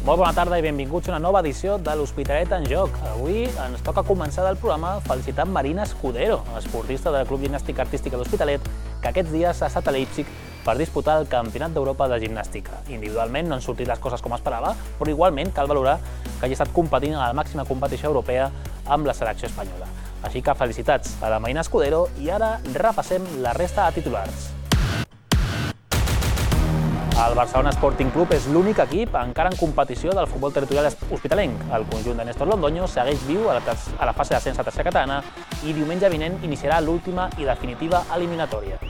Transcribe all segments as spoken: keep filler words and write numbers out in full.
Molt bona tarda i benvinguts a una nova edició de l'Hospitalet en Joc. Avui ens toca començar del programa felicitant Marina Escudero, esportista del Club Gimnàstica Artística de l'Hospitalet, que aquests dies ha estat a Leipzig per disputar el Campionat d'Europa de Gimnàstica. Individualment no han sortit les coses com esperava, però igualment cal valorar que hagi estat competint a la màxima competició europea amb la selecció espanyola. Així que felicitats a la Marina Escudero i ara repassem la resta de titulars. El Barcelona Sporting Club és l'únic equip encara en competició del futbol territorial hospitalenc. El conjunt de Néstor Londoño segueix viu a la, a la fase d'ascens a tercera catalana i diumenge vinent iniciarà l'última i definitiva eliminatòria.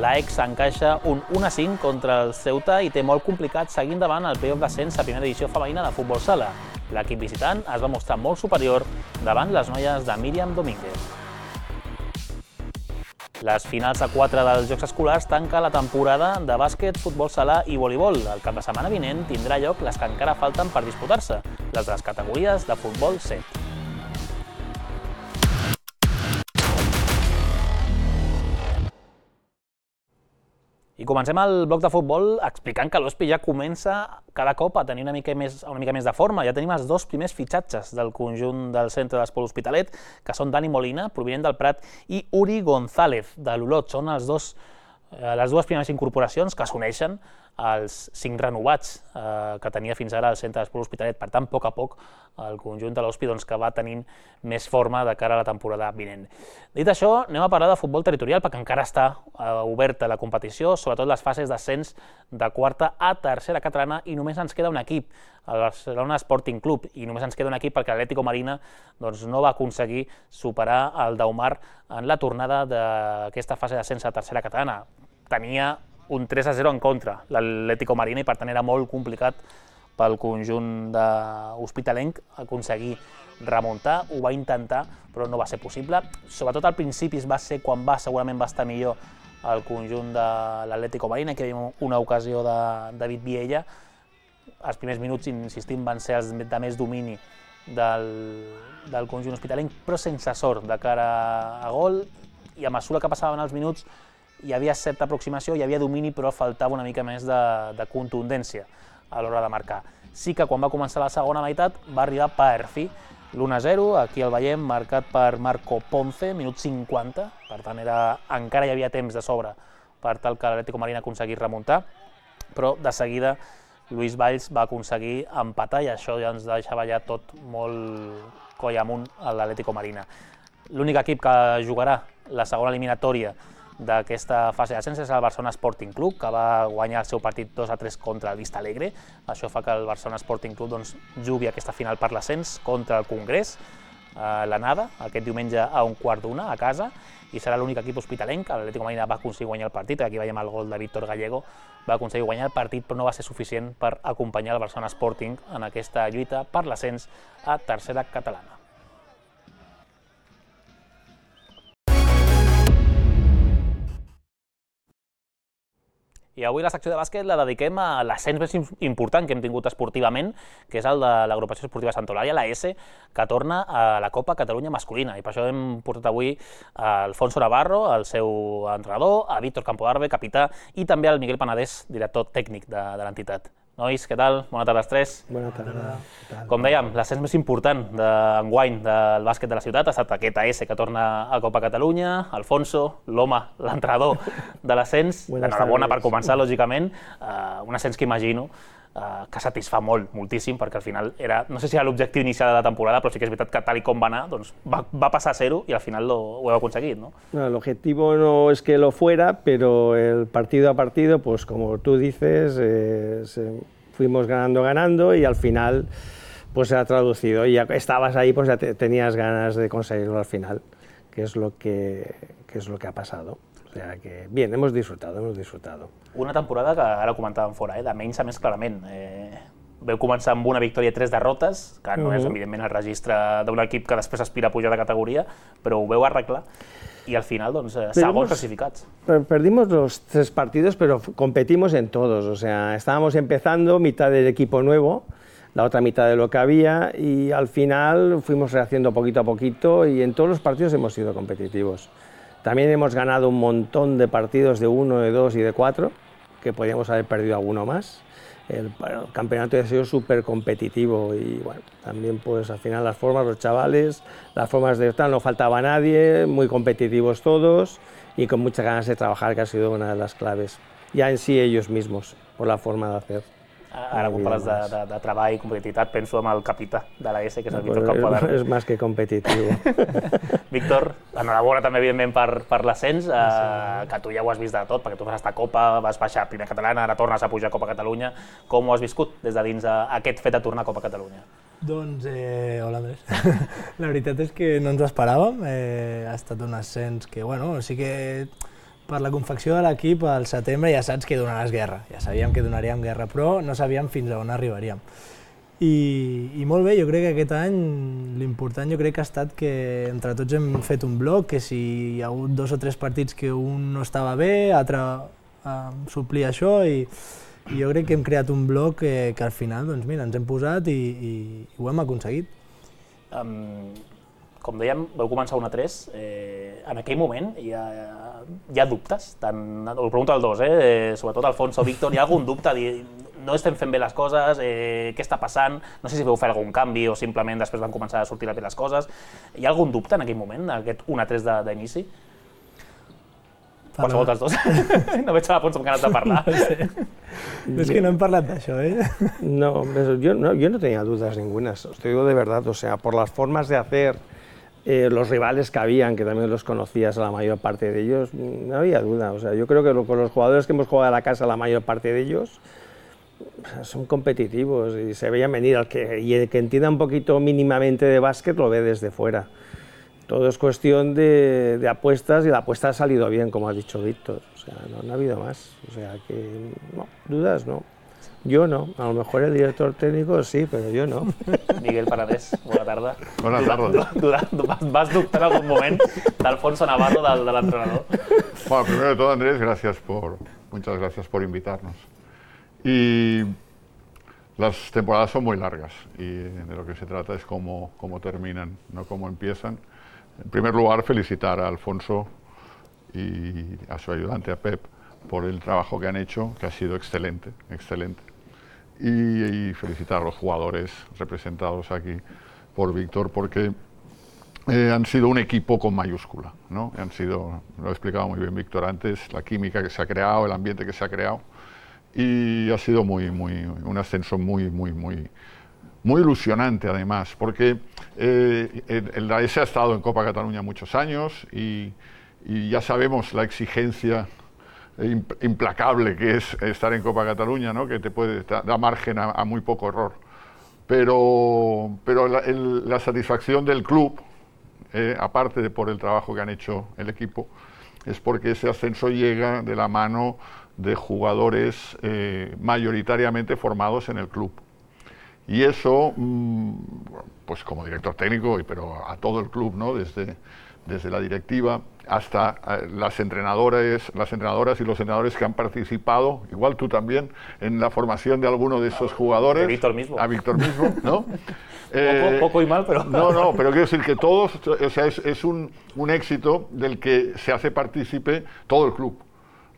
L'Aix s'encaixa un un a cinc contra el Ceuta i té molt complicat seguir endavant el playoff d'ascens a primera edició femenina de futbol sala. L'equip visitant es va mostrar molt superior davant les noies de Míriam Domínguez. Les finals a quatre dels Jocs Escolars tanca la temporada de bàsquet, futbol sala i voleibol. El cap de setmana vinent tindrà lloc les que encara falten per disputar-se, les de les categories de futbol set. I comencem el bloc de futbol explicant que l'Hospi ja comença cada cop a tenir una mica més, una mica més de forma. Ja tenim els dos primers fitxatges del conjunt del centre d'esport Hospitalet, que són Dani Molina, provinent del Prat, i Uri González, de l'Olot. Són els dos, eh, les dues primeres incorporacions que s'uneixen als cinc renovats eh, que tenia fins ara el centre d'esport Hospitalet. Per tant, a poc a poc, el conjunt de l'Hospi doncs, que va tenint més forma de cara a la temporada vinent. Dit això, anem a parlar de futbol territorial, perquè encara està eh, oberta la competició, sobretot les fases d'ascens de quarta a tercera catalana, i només ens queda un equip, el Barcelona Sporting Club, i només ens queda un equip perquè l'Atlético Marina doncs, no va aconseguir superar el Daumar en la tornada d'aquesta fase d'ascens a tercera catalana. Tenia un tres a zero en contra l'Atlético Marina i per tant era molt complicat pel conjunt hospitalenc aconseguir remuntar. Ho va intentar però no va ser possible. Sobretot al principi va ser quan va, segurament va estar millor el conjunt de l'Atlético Marina, que hi havia una ocasió de David Viella. Els primers minuts, insistim, van ser els de més domini del, del conjunt hospitalenc, però sense sort de cara a gol, i a mesura que passaven els minuts hi havia certa aproximació, hi havia domini, però faltava una mica més de, de contundència a l'hora de marcar. Sí que quan va començar la segona meitat va arribar per fi l'u a zero, aquí el veiem, marcat per Marco Ponce, minut cinquanta, per tant era, encara hi havia temps de sobre per tal que l'Atlético Marina aconseguís remuntar, però de seguida Lluís Valls va aconseguir empatar i això ja ens deixava ja tot molt coll amunt a l'Atlético Marina. L'únic equip que jugarà la segona eliminatòria d'aquesta fase d'ascens és el Barcelona Sporting Club, que va guanyar el seu partit dos a tres contra el Vista Alegre. Això fa que el Barcelona Sporting Club doncs, jugui aquesta final per l'ascens contra el Congrés, a l'Anada, aquest diumenge a un quart d'una a casa, i serà l'únic equip hospitalenc. L'Atlético Marina va aconseguir guanyar el partit, aquí veiem el gol de Víctor Gallego, va aconseguir guanyar el partit, però no va ser suficient per acompanyar el Barcelona Sporting en aquesta lluita per l'ascens a tercera catalana. I avui la secció de bàsquet la dediquem a l'ascens més important que hem tingut esportivament, que és el de l'agrupació esportiva Santa Eulàlia, la S, que torna a la Copa Catalunya masculina. I per això hem portat avui a Alfonso Navarro, el seu entrenador, a Víctor Campodarbe, capità, i també al Miguel Panadés, director tècnic de, de l'entitat. Nois, què tal? Bona tarda als tres. Bona tarda. Com dèiem, l'ascens més important d'enguany del bàsquet de la ciutat ha estat aquest A S que torna a Copa Catalunya. Alfonso, l'home, l'entrenador de l'ascens, enhorabona per començar, lògicament. Un ascens que imagino que satisfà molt, moltíssim, perquè al final era, no sé si era l'objectiu inicial de la temporada, però sí que és veritat que tal i com va anar, doncs va, va passar a zero i al final lo, ho heu aconseguit, ¿no? No, el objetivo no es que lo fuera, pero el partido a partido, pues como tú dices, eh, se, fuimos ganando, ganando y al final pues se ha traducido. Y ya estabas ahí, pues ya te, tenías ganas de conseguirlo al final, que es lo que, que es lo que ha pasado. O sea que, bien, hemos disfrutado, hemos disfrutado. Una temporada que ara comentàvem fora, eh, de menys a més clarament. Eh, veu començar amb una victòria i tres derrotes, que no és, evidentment, el registre d'un equip que després aspira a pujar de categoria, però ho veu arreglar y al final, doncs, segons clasificats. Perdimos los tres partidos, pero competimos en todos. O sea, estábamos empezando, mitad del equipo nuevo, la otra mitad de lo que había, y al final fuimos rehaciendo poquito a poquito y en todos los partidos hemos sido competitivos. También hemos ganado un montón de partidos de uno, de dos y de cuatro, que podíamos haber perdido alguno más. el, el campeonato ha sido súper competitivo y bueno, también pues al final las formas, los chavales, las formas de estar, no faltaba nadie, muy competitivos todos y con muchas ganas de trabajar, que ha sido una de las claves. Ya en sí ellos mismos, por la forma de hacer. Ara, quan parles de, de, de treball i competitivitat, penso en el capità de l'A S, que és el No, Víctor es, Campodarro. es más que competitivo. Víctor, enhorabona també, evidentment, per, per l'ascens, eh, que tu ja ho has vist de tot, perquè tu vas estar a Copa, vas baixar a Primera Catalana, ara tornes a pujar a Copa Catalunya. Com ho has viscut des de dins eh, aquest fet de tornar a Copa Catalunya? Doncs, eh, hola Andrés. La veritat és que no ens ho esperàvem, eh, ha estat un ascens que, bueno, sí que per la confecció de l'equip al setembre ja saps que donaràs guerra, ja sabíem que donaríem guerra, però no sabíem fins a on arribaríem. I, i molt bé, jo crec que aquest any l'important jo crec que ha estat que entre tots hem fet un bloc, que si hi ha hagut dos o tres partits que un no estava bé, l'altre eh, suplia això i, i jo crec que hem creat un bloc que, que al final doncs mira, ens hem posat i, i, i ho hem aconseguit. Um, com dèiem, vau començar un a tres, eh, en aquell moment hi ha, hi ha dubtes, tant, ho pregunto als dos, eh, sobretot Alfonso o Víctor, hi ha algun dubte, dir, no estem fent bé les coses, eh, què està passant, no sé si vau fer algun canvi o simplement després van començar a sortir bé les coses, hi ha algun dubte en aquell moment, aquest un a tres d'inici? Qualsevol dels dos. No veig a l'Alfonso amb ganes de parlar. No sé. Es que no hem parlat d'això, ¿eh? No, yo no, yo no tenía dudas ninguna, os te digo de verdad, o sea, por las formas de hacer, eh, los rivales que habían, que también los conocías a la mayor parte de ellos, no había duda, o sea, yo creo que lo, con los jugadores que hemos jugado a la casa, la mayor parte de ellos, son competitivos y se veían venir, al que, y el que entienda un poquito mínimamente de básquet lo ve desde fuera. Todo es cuestión de, de apuestas y la apuesta ha salido bien, como ha dicho Víctor. O sea, no, no ha habido más. O sea, que no, dudas no. Yo no. A lo mejor el director técnico sí, pero yo no. Miguel Paradés, bona tarda. Bona tarda. Du, du, du, vas dubtar en algún moment d'Alfonso Navarro, del, de l'entrenador? Bueno, primero de todo, Andrés, gracias por, muchas gracias por invitarnos. Y las temporadas son muy largas y de lo que se trata es cómo, cómo terminan, no cómo empiezan. En primer lugar, felicitar a Alfonso y a su ayudante, a Pep, por el trabajo que han hecho, que ha sido excelente, excelente. Y, y felicitar a los jugadores representados aquí por Víctor, porque eh, han sido un equipo con mayúscula, ¿no? Han sido, lo ha explicado muy bien Víctor antes, la química que se ha creado, el ambiente que se ha creado, y ha sido muy, muy, un ascenso muy, muy, muy, muy ilusionante además, porque eh, el, el A S ha estado en Copa Cataluña muchos años y, y ya sabemos la exigencia implacable que es estar en Copa Cataluña, ¿no? Que te puede dar margen a, a muy poco error. Pero, pero la, el, la satisfacción del club, eh, aparte de por el trabajo que han hecho el equipo, es porque ese ascenso llega de la mano de jugadores eh, mayoritariamente formados en el club. Y eso, pues como director técnico, pero a todo el club, ¿no? Desde, desde la directiva hasta las entrenadoras, las entrenadoras y los entrenadores que han participado, igual tú también, en la formación de alguno de esos jugadores. A Víctor mismo. A Víctor mismo, ¿no? eh, poco, poco y mal, pero... No, no, pero quiero decir que todos, o sea, es, es un, un éxito del que se hace partícipe todo el club,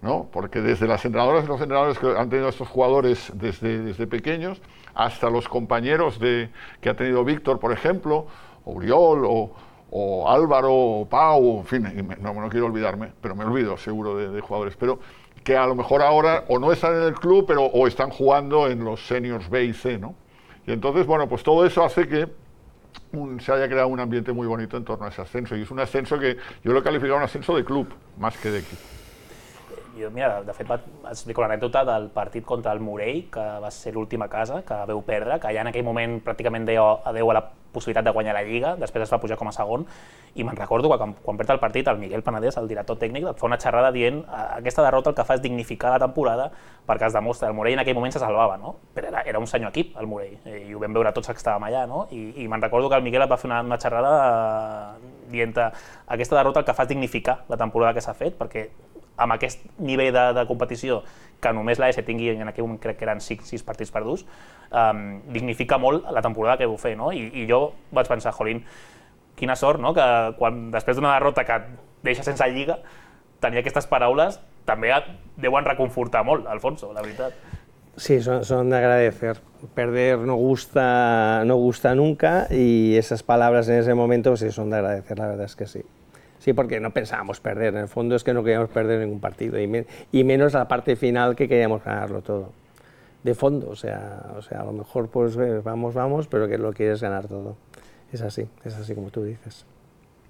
¿no? Porque desde las entrenadoras y los entrenadores que han tenido estos jugadores desde, desde pequeños, hasta los compañeros de, que ha tenido Víctor, por ejemplo, o Uriol, o, o Álvaro, o Pau, en fin, no, no quiero olvidarme, pero me olvido seguro de, de jugadores, pero que a lo mejor ahora o no están en el club, pero o están jugando en los seniors B y C, ¿no? Y entonces, bueno, pues todo eso hace que un, se haya creado un ambiente muy bonito en torno a ese ascenso, y es un ascenso que yo lo he calificado un ascenso de club, más que de equipo. Jo, mira, de fet, va explicar una anècdota del partit contra el Morell, que va ser l'última casa, que veu perdre, que ja en aquell moment pràcticament deia adeu a la possibilitat de guanyar la Lliga, després es va pujar com a segon, i me'n recordo que quan, quan perd el partit, el Miguel Penedès, el director tècnic, et fa una xerrada dient aquesta derrota el que fa és dignificar la temporada perquè es demostra. El Morell en aquell moment se salvava, no? Però era, era un senyor equip, el Morell, i ho vam veure tots que estàvem allà, no? I, i me'n recordo que el Miguel et va fer una, una xerrada eh, dient aquesta derrota el que fa és dignificar la temporada que s'ha fet, perquè amb aquest nivell de, de competició que només l'A S tingui, en aquell moment crec que eren sis, sis partits perduts, um, dignifica molt la temporada que vau fer, no? I, i jo vaig pensar, jolín, quina sort, no? Que quan, després d'una derrota que et deixa sense Lliga, tenir aquestes paraules també et deuen reconfortar molt, Alfonso, la veritat. Sí, son, son de agradecer. Perder no gusta, no gusta nunca y esas palabras en ese momento sí son de agradecer, la verdad es que sí. Sí, porque no pensábamos perder, en el fondo es que no queríamos perder ningún partido y, me, y menos la parte final que queríamos ganarlo todo. De fondo, o sea, o sea, a lo mejor pues vamos, vamos, pero que lo quieres ganar todo. És així, és així com tu dices.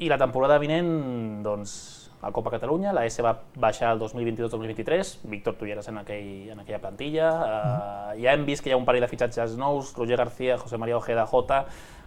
I la temporada vinent, doncs, a Copa Catalunya, la S va baixar el dos mil vint-i-dos dos mil vint-i-tres, Víctor, tu hi eres en, aquell, en aquella plantilla, uh, ja hem vist que hi ha un parell de fitxatges nous, Roger García, José María Ojeda, Jota,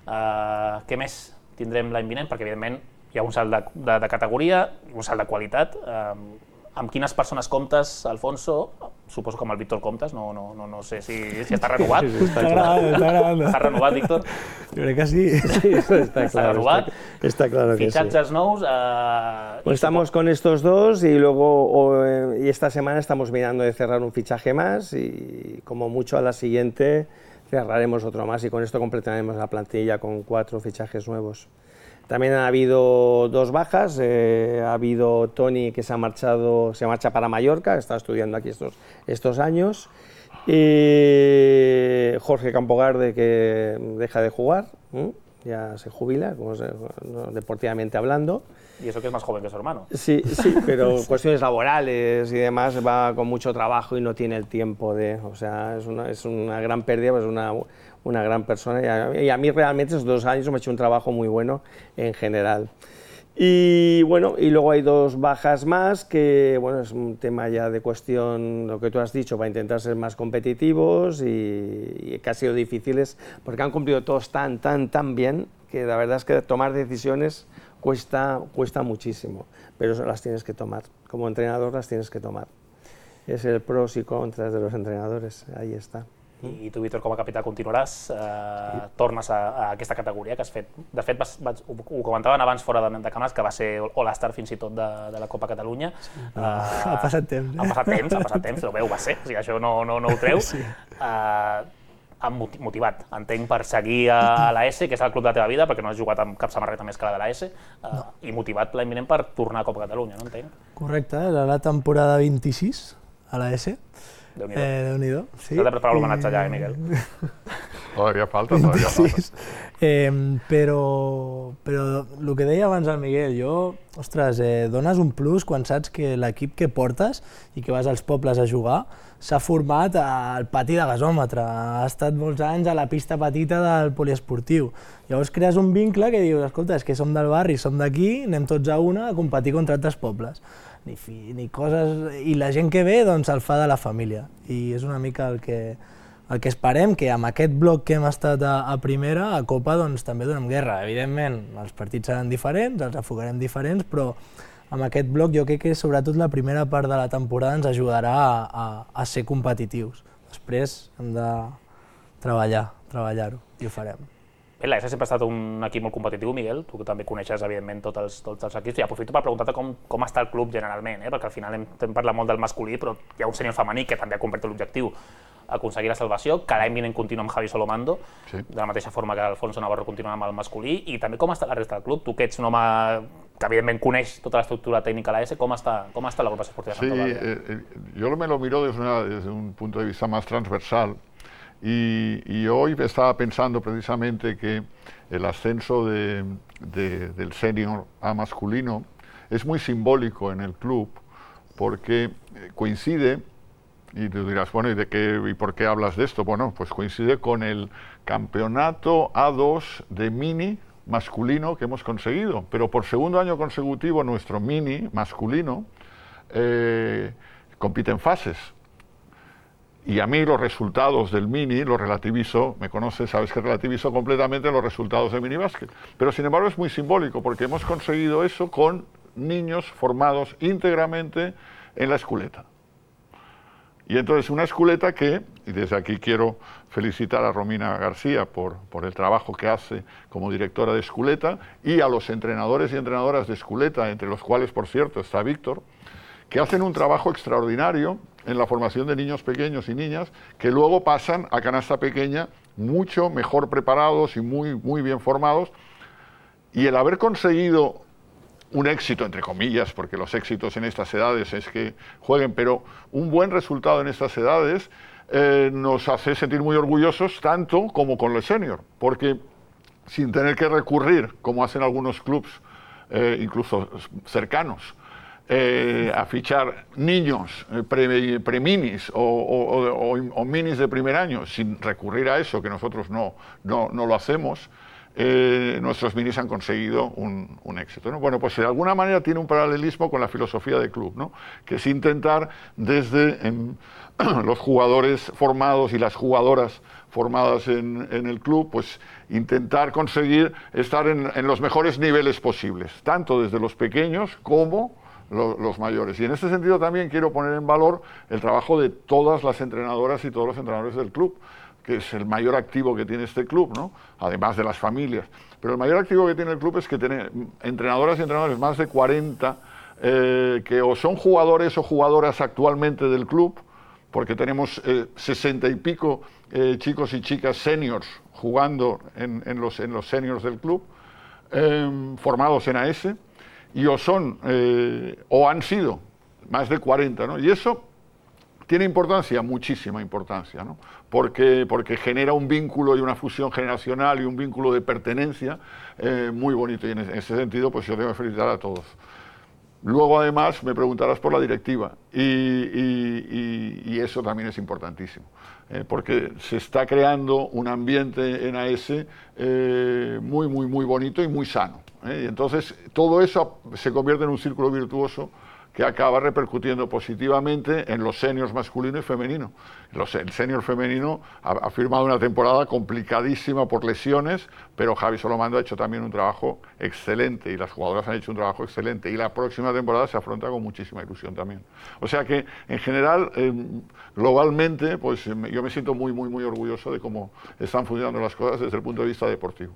uh, què més tindrem l'any vinent? Perquè evidentment hi ha un salt de, de, de categoria, un salt de qualitat. Uh, amb quines persones comptes, Alfonso? Suposo que amb el Víctor comptes, no, no, no, no sé si, si està renovat. Sí, sí, està agradant, està agradant. Està renovat, Víctor? Jo crec que sí. Sí, eso está, Está claro, renovat. Está, está claro que sí. Fichajes nous. Uh, Pues estamos con estos dos y luego o, eh, y esta semana estamos mirando de cerrar un fichaje más y como mucho a la siguiente cerraremos otro más y con esto completaremos la plantilla con cuatro fichajes nuevos. También ha habido dos bajas, eh, ha habido Tony que se ha marchado, se marcha para Mallorca, está estudiando aquí estos, estos años, y Jorge Campogarde que deja de jugar, ¿eh? Ya se jubila, como se, no, deportivamente hablando. Y eso que es más joven que su hermano. Sí, sí, pero cuestiones laborales y demás, va con mucho trabajo y no tiene el tiempo de, o sea, es una, es una gran pérdida, pues una, una gran persona y a, y a mí realmente esos dos años me ha hecho un trabajo muy bueno en general. Y bueno, y luego hay dos bajas más que, bueno, es un tema ya de cuestión, lo que tú has dicho, para intentar ser más competitivos y, y que ha sido difíciles porque han cumplido todos tan, tan, tan bien que la verdad es que tomar decisiones cuesta, cuesta muchísimo, pero las tienes que tomar, como entrenador las tienes que tomar. Es el pros y contras de los entrenadors, ahí està. I tu, Víctor, com a capità continuaràs, eh, tornes a, a aquesta categoria que has fet. De fet, vas, vas, ho, ho comentaven abans fora de, de càmeres, que va ser All-Star fins i tot de, de la Copa Catalunya. Sí. Uh, ha passat temps. Eh? Ha passat temps, ha passat temps, però bé, ho va ser, o sigui, això no, no, no ho treu. Sí. Uh, han motivat, entenc, per seguir a la S, que és el club de la teva vida, perquè no has jugat amb cap samarreta més que la de la S, uh, no. I motivat l'any vinent per tornar a Copa Catalunya, no entenc? Correcte, era la temporada vint-i-sis a la S. Déu-n'hi-do. Eh, Déu-n'hi-do, sí. S'ha de preparar l'homenatge allà, eh, Miguel? Todavía falta, todavía falta. Eh, però, però el que deia abans el Miguel, jo, ostres, eh, dones un plus quan saps que l'equip que portes i que vas als pobles a jugar s'ha format al pati de gasòmetre, ha estat molts anys a la pista petita del poliesportiu. Llavors crees un vincle que dius, escolta, és que som del barri, som d'aquí, anem tots a una a competir contra altres pobles. Ni, fi, ni coses... I la gent que ve doncs, el fa de la família. I és una mica el que, el que esperem, que amb aquest bloc que hem estat a, a primera, a Copa, doncs, també donem guerra. Evidentment, els partits seran diferents, els afogarem diferents, però amb aquest bloc jo crec que sobretot la primera part de la temporada ens ajudarà a, a, a ser competitius. Després hem de treballar, treballar-ho, i ho farem. Bé, la S sempre ha estat un equip molt competitiu, Miguel, tu que també coneixes, evidentment, tots els, tots els equips, i aprofito per preguntar-te com, com està el club generalment, eh? Perquè al final hem, hem parlat molt del masculí, però hi ha un sènior femení que també ha convertit l'objectiu aconseguir la salvació, que l'any vinent continua amb Javi Solomando, sí. De la mateixa forma que Alfonso Navarro continua amb el masculí, i també com està la resta del club? Tu que ets un home que evidentment coneix tota l'estructura tècnica de la S, com està, com està l'agrupació esportiva de Santa Eulàlia? Sí, eh, yo me lo miro desde, una, desde un punto de vista más transversal. Y, y hoy estaba pensando precisamente que el ascenso de, de, del senior A masculino es muy simbólico en el club porque coincide, y tú dirás, bueno, ¿y, de qué, ¿y por qué hablas de esto? Bueno, pues coincide con el campeonato A dos de mini masculino que hemos conseguido, pero por segundo año consecutivo nuestro mini masculino eh, compite en fases. Y a mí los resultados del mini los relativizo, me conoces, sabes que relativizo completamente los resultados del minibásquet. Pero sin embargo es muy simbólico porque hemos conseguido eso con niños formados íntegramente en la esculeta. Y entonces una esculeta que, y desde aquí quiero felicitar a Romina García por, por el trabajo que hace como directora de esculeta y a los entrenadores y entrenadoras de esculeta, entre los cuales por cierto está Víctor, que hacen un trabajo extraordinario en la formación de niños pequeños y niñas que luego pasan a canasta pequeña mucho mejor preparados y muy, muy bien formados. Y el haber conseguido un éxito, entre comillas, porque los éxitos en estas edades es que jueguen, pero un buen resultado en estas edades eh, nos hace sentir muy orgullosos, tanto como con el senior, porque sin tener que recurrir, como hacen algunos clubs, eh, incluso cercanos, eh, a fichar niños eh, pre, pre-minis o, o, o, o minis de primer año, sin recurrir a eso, que nosotros no, no, no lo hacemos, eh, nuestros minis han conseguido un, un éxito, ¿no? Bueno, pues de alguna manera tiene un paralelismo con la filosofía del club, ¿no? Que es intentar desde en, los jugadores formados y las jugadoras formadas en, en el club, pues intentar conseguir estar en, en los mejores niveles posibles, tanto desde los pequeños como los, los mayores. Y en este sentido también quiero poner en valor el trabajo de todas las entrenadoras y todos los entrenadores del club, que es el mayor activo que tiene este club, ¿no? Además de las familias. Pero el mayor activo que tiene el club es que tiene entrenadoras y entrenadores, más de cuarenta, eh, que o son jugadores o jugadoras actualmente del club, porque tenemos eh, sesenta y pico eh, chicos y chicas seniors jugando en, en, los, en los seniors del club, eh, formados en A S, y o son, eh, o han sido, más de cuarenta, ¿no? Y eso tiene importancia, muchísima importancia, ¿no? Porque, porque genera un vínculo y una fusión generacional y un vínculo de pertenencia eh, muy bonito, y en ese sentido pues yo tengo que felicitar a todos. Luego, además, me preguntarás por la directiva, y, y, y, y eso también es importantísimo, eh, porque se está creando un ambiente en A S eh, muy, muy, muy bonito y muy sano, ¿eh? Y entonces, todo eso se convierte en un círculo virtuoso que acaba repercutiendo positivamente en los seniors masculino y femenino. Los, el senior femenino ha, ha firmado una temporada complicadísima por lesiones, pero Javi Solomando ha hecho también un trabajo excelente y las jugadoras han hecho un trabajo excelente, y la próxima temporada se afronta con muchísima ilusión también. O sea que, en general, eh, globalmente, pues yo me siento muy, muy, muy orgulloso de cómo están funcionando las cosas desde el punto de vista deportivo.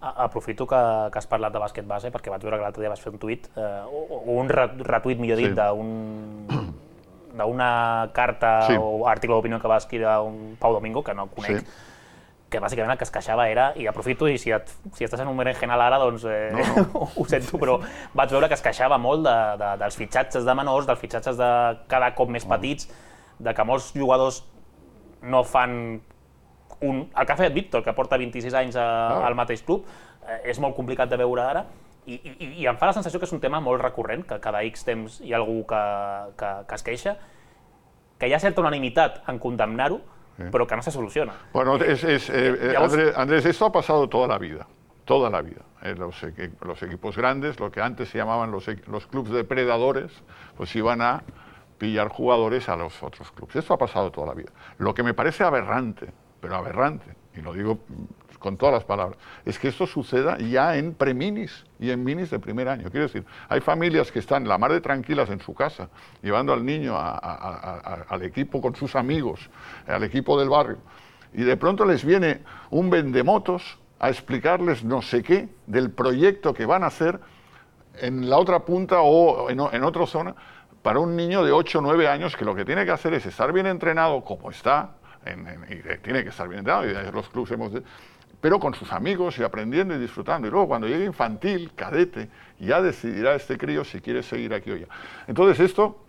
Aprofito que, que has parlat de bàsquet base, perquè vaig veure que l'altre dia vas fer un tuit, eh, o, o un retuit, millor dit, sí. d'una carta sí. o article d'opinió que va escriure un Pau Domingo, que no conec, sí. que bàsicament el que es queixava era, i aprofito, i si, et, si estàs en un berenjenal ara, doncs eh, no, no. ho sento, però vaig veure que es queixava molt de, de, dels fitxatges de menors, dels fitxatges de cada cop més petits, de que molts jugadors no fan un... El que ha fet Víctor, que porta vint-i-sis anys a, ah. al mateix club, eh, és molt complicat de veure ara, i, i, i em fa la sensació que és un tema molt recurrent, que cada X temps hi ha algú que, que, que es queixa, que hi ha certa unanimitat en condemnar-ho, sí. però que no se soluciona. Bueno, es, es, eh, Llavors... Andrés, Andrés, esto ha pasado toda la vida, toda la vida. Eh, los, los equipos grandes, lo que antes se llamaban los, los clubs depredadores, pues iban a pillar jugadores a los otros clubs. Esto ha pasado toda la vida. Lo que me parece aberrante, pero aberrante, y lo digo con todas las palabras, es que esto suceda ya en preminis y en minis de primer año. Quiero decir, hay familias que están la mar de tranquilas en su casa, llevando al niño a, a, a, a, al equipo con sus amigos, al equipo del barrio, y de pronto les viene un vendemotos a explicarles no sé qué del proyecto que van a hacer en la otra punta o en, en otra zona para un niño de ocho o nueve años, que lo que tiene que hacer es estar bien entrenado, como está, En, en, y tiene que estar bien entrenado, y los clubes hemos de, pero con sus amigos y aprendiendo y disfrutando. Y luego cuando llegue infantil, cadete, ya decidirá este crío si quiere seguir aquí o ya. Entonces esto,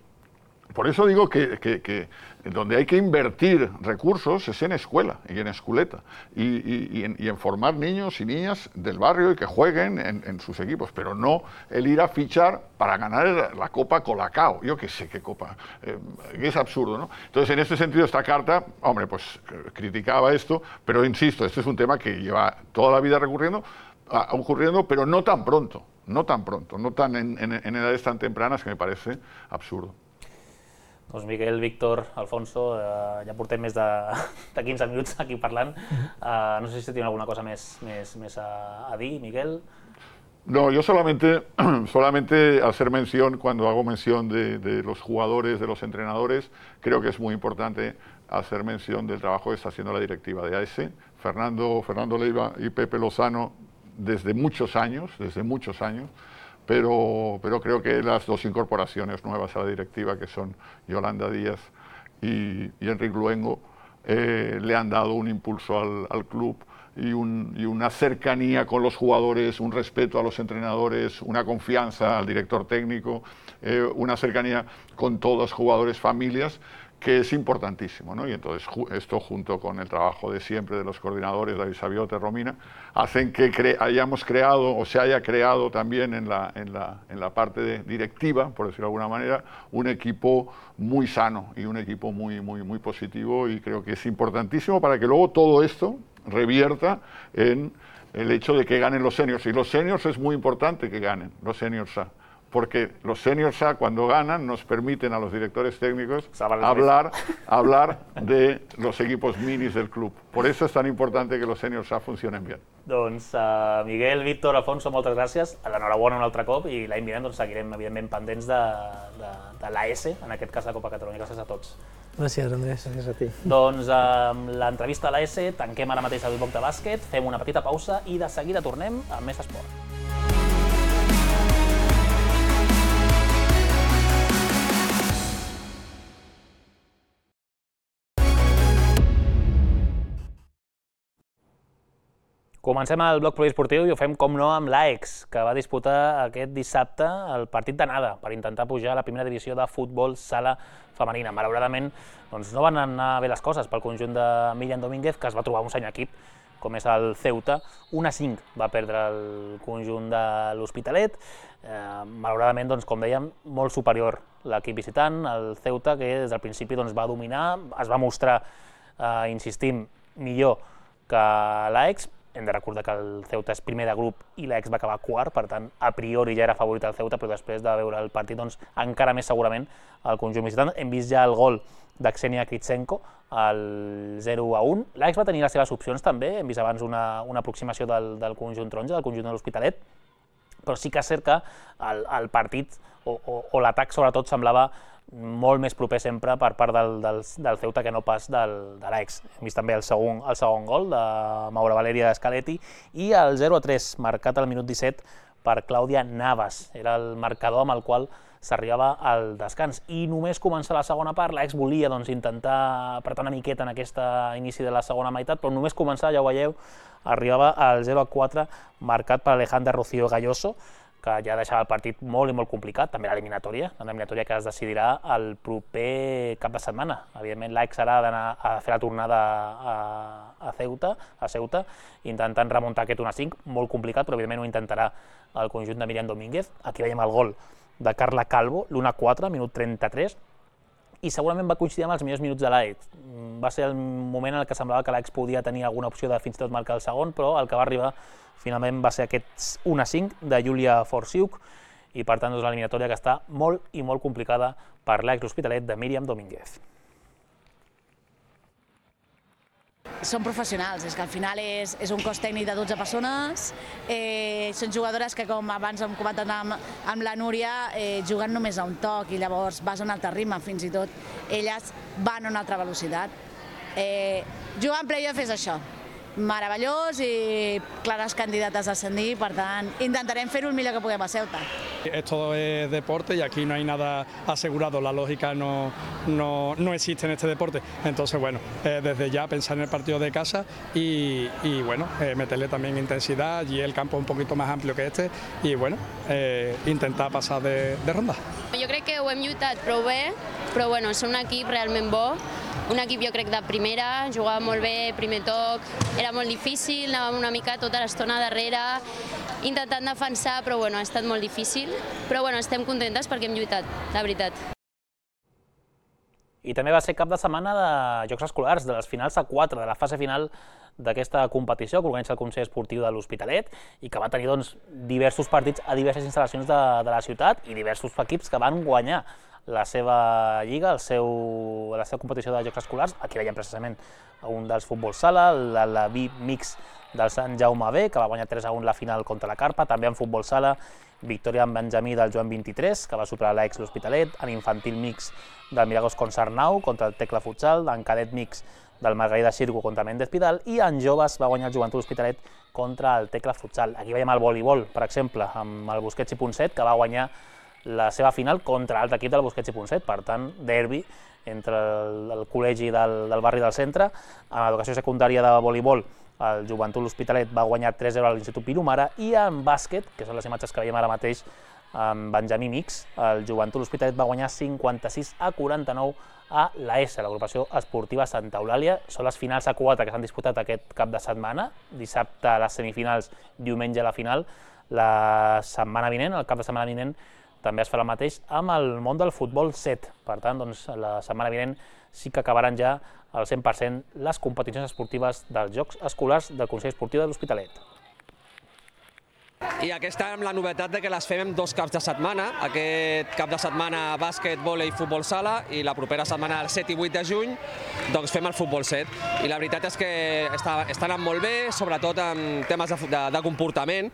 por eso digo que, que, que donde hay que invertir recursos es en escuela y en esculeta, y, y, y, en, y en formar niños y niñas del barrio y que jueguen en, en sus equipos, pero no el ir a fichar para ganar la Copa Colacao, yo qué sé qué copa, eh, es absurdo, ¿no? Entonces, en este sentido, esta carta, hombre, pues criticaba esto, pero insisto, este es un tema que lleva toda la vida recurriendo, a, ocurriendo, pero no tan pronto, no tan pronto, no tan en, en, en edades tan tempranas, que me parece absurdo. Doncs Miquel, Víctor, Alfonso, eh, ja portem més de, de quinze minuts aquí parlant. Eh, no sé si tenen alguna cosa més, més, més a, a dir, Miquel. No, yo solamente, solamente hacer mención, cuando hago mención de, de los jugadores, de los entrenadores, creo que es muy importante hacer mención del trabajo que está haciendo la directiva de A S. Fernando, Fernando Leiva y Pepe Lozano, desde muchos años, desde muchos años, Pero, pero creo que las dos incorporaciones nuevas a la directiva, que son Yolanda Díaz y, y Enric Luengo, eh, le han dado un impulso al, al club y, un, y una cercanía con los jugadores, un respeto a los entrenadores, una confianza al director técnico, eh, una cercanía con todos los jugadores, familias, que es importantísimo, ¿no? Y entonces esto, junto con el trabajo de siempre de los coordinadores, David Sabiote, Romina, hacen que cre hayamos creado, o se haya creado también en la, en la, en la parte de directiva, por decirlo de alguna manera, un equipo muy sano y un equipo muy, muy, muy positivo, y creo que es importantísimo para que luego todo esto revierta en el hecho de que ganen los seniors. Y los seniors es muy importante que ganen, los seniors A, porque los seniors A, cuando ganan, nos permiten a los directores técnicos hablar, hablar de los equipos minis del club. Por eso es tan importante que los seniors A funcionen bien. Doncs uh, Miguel, Víctor, Alfonso, moltes gràcies. L'enhorabona un altre cop i l'any vinent doncs, seguirem evidentment pendents de, de, de l'A S, en aquest cas la Copa Catalunya. Gràcies a tots. Gràcies, Andrés. Gràcies a ti. Doncs amb uh, l'entrevista a l'A S tanquem ara mateix el bloc de bàsquet, fem una petita pausa i de seguida tornem amb més esport. Comencem el bloc poliesportiu i ho fem, com no, amb l'A E X, que va disputar aquest dissabte el partit d'anada per intentar pujar a la primera divisió de futbol sala femenina. Malauradament, doncs, no van anar bé les coses pel conjunt de Míriam Domínguez, que es va trobar un seny equip, com és el Ceuta. un a cinc va perdre el conjunt de l'Hospitalet. Eh, malauradament, doncs, com dèiem, molt superior l'equip visitant, el Ceuta, que des del principi doncs, va dominar, es va mostrar, eh, insistim, millor que l'A E X. Hem de recordar que el Ceuta és primer de grup i l'A E X va acabar quart, per tant, a priori ja era favorit el Ceuta, però després de veure el partit, doncs, encara més segurament el conjunt visitant. Hem vist ja el gol d'Aksenia Kritsenko, el zero a un. L'A E X va tenir les seves opcions també, hem vist abans una, una aproximació del, del conjunt taronja, del conjunt de l'Hospitalet, però sí que és cert que el, el partit o, o, o l'atac sobretot semblava molt més proper sempre per part del, del, del Ceuta que no pas del, de l'A E X. Hem vist també el segon, el segon gol de Maura Valeria Scaletti i el zero a tres, marcat al minut disset per Clàudia Navas. Era el marcador amb el qual s'arribava al descans. I només començar la segona part, l'A E X volia doncs, intentar apretar una miqueta en aquest inici de la segona meitat, però només començar, ja ho veieu, arribava al zero a quatre, marcat per Alejandra Rocío Galloso, que ja deixava el partit molt i molt complicat, també l'eliminatòria, una eliminatòria que es decidirà el proper cap de setmana. Evidentment, l'A E X serà d'anar a fer la tornada a, a, Ceuta, a Ceuta, intentant remuntar aquest un a cinc, molt complicat, però evidentment ho intentarà el conjunt de Míriam Domínguez. Aquí veiem el gol de Carla Calvo, l'un a quatre, minut trenta-tres, i segurament va coincidir amb els millors minuts de l'A E X. Va ser el moment en què semblava que l'A E X podia tenir alguna opció de fins i tot marcar el segon, però el que va arribar finalment va ser aquest un a cinc de Júlia Forsiuk, i per tant, doncs, l'eliminatòria que està molt i molt complicada per l'A E X L'Hospitalet de Míriam Domínguez. Són professionals, és que al final és, és un cos tècnic de dotze persones, eh, són jugadores que, com abans hem comentat amb, amb la Núria, eh, juguen només a un toc i llavors vas a un altre ritme, fins i tot elles van a una altra velocitat. Eh, jugar en playoff és això, meravellós i clares candidates a ascendir, per tant, intentarem fer-ho el millor que puguem a Ceuta. Esto es deporte y aquí no hay nada asegurado, la lógica no, no, no existe en este deporte, entonces bueno, eh, desde ya pensar en el partido de casa y, y bueno, eh, meterle también intensidad, allí el campo es un poquito más amplio que este y bueno, eh, intentar passar de, de ronda. Jo crec que ho hem lluitat prou bé, però bueno, són un equip realment bo, un equip jo crec de primera, jugava molt bé, primer toc, era molt difícil, anàvem una mica tota l'estona darrere, intentant defensar, però bueno, ha estat molt difícil, però bueno, estem contentes perquè hem lluitat, la veritat. I també va ser cap de setmana de Jocs Escolars, de les finals a quatre, de la fase final d'aquesta competició que organitza el Consell Esportiu de l'Hospitalet i que va tenir doncs, diversos partits a diverses instal·lacions de, de la ciutat i diversos equips que van guanyar la seva lliga, el seu, la seva competició de Jocs Escolars. Aquí veiem precisament un dels futbol sala, el B mix del Sant Jaume B, que va guanyar tres a un la final contra la Carpa, també en futbol sala, victòria en Benjamí del Joan vint-i-tres, que va superar l'A E X L'Hospitalet, en infantil mix del Miragos Concernau contra el Tecla Futsal, en cadet mix del Margarida Xirgo contra Méndez Pidal, i en joves va guanyar el Joventut L'Hospitalet contra el Tecla Futsal. Aquí veiem el voleibol, per exemple, amb el Busquets i Ponset, que va guanyar la seva final contra l'altre equip del Busquets i Ponset, per tant, derbi entre el, el col·legi del, del barri del centre. En l'educació secundària de voleibol, el Joventut L'Hospitalet va guanyar tres a zero a l'Institut Pirumara, i en bàsquet, que són les imatges que veiem ara mateix, amb Benjamí Mix. El Joventut L'Hospitalet va guanyar cinquanta-sis a quaranta-nou a l'A S, l'agrupació esportiva Santa Eulàlia. Són les finals a quatre que s'han disputat aquest cap de setmana. Dissabte les semifinals, diumenge la final. La setmana vinent, el cap de setmana vinent, també es farà el mateix amb el món del futbol set. Per tant, doncs, la setmana vinent sí que acabaran ja al cent per cent les competicions esportives dels Jocs Escolars del Consell Esportiu de l'Hospitalet. I aquesta amb la novetat de que les fem en dos caps de setmana. Aquest cap de setmana bàsquet, vòlei i futbol sala, i la propera setmana, el set i vuit de juny, doncs fem el futbol set. I la veritat és que està, està anant molt bé, sobretot en temes de, de, de comportament,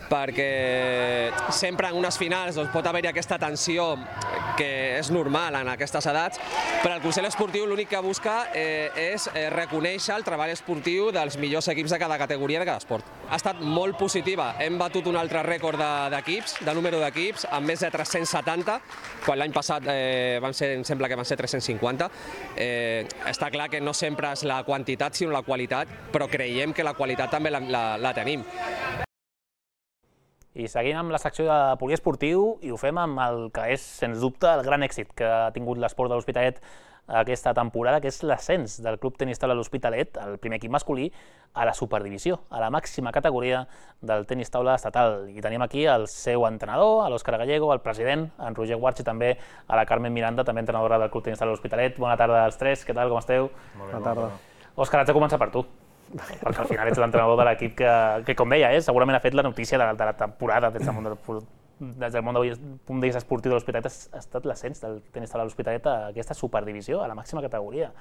perquè sempre en unes finals doncs, pot haver-hi aquesta tensió que és normal en aquestes edats, però el Consell Esportiu l'únic que busca eh, és eh, reconèixer el treball esportiu dels millors equips de cada categoria de cada esport. Ha estat molt positiva, hem batut un altre rècord d'equips, de, de número d'equips, amb més de tres-cents setanta, quan l'any passat eh, van ser, em sembla que van ser tres-cents cinquanta. Eh, està clar que no sempre és la quantitat sinó la qualitat, però creiem que la qualitat també la, la, la tenim. I seguim amb la secció de poliesportiu i ho fem amb el que és, sens dubte, el gran èxit que ha tingut l'esport de l'Hospitalet aquesta temporada, que és l'ascens del Club Tenis Taula de l'Hospitalet, el primer equip masculí, a la superdivisió, a la màxima categoria del tenis taula estatal. I tenim aquí el seu entrenador, l'Òscar Gallego, el president, en Roger Guarch, i també a la Carmen Miranda, també entrenadora del Club Tenis Taula de l'Hospitalet. Bona tarda als tres, què tal, com esteu? Bona tarda. Òscar, haig de començar per tu, perquè al final ets l'entrenador de l'equip que, que, com deia, eh, segurament ha fet la notícia de, de la temporada des del món del, des del món de, punt de vista esportiu de l'Hospitalet. Ha estat l'ascens del tenis taula de l'Hospitalet a aquesta superdivisió, a la màxima categoria.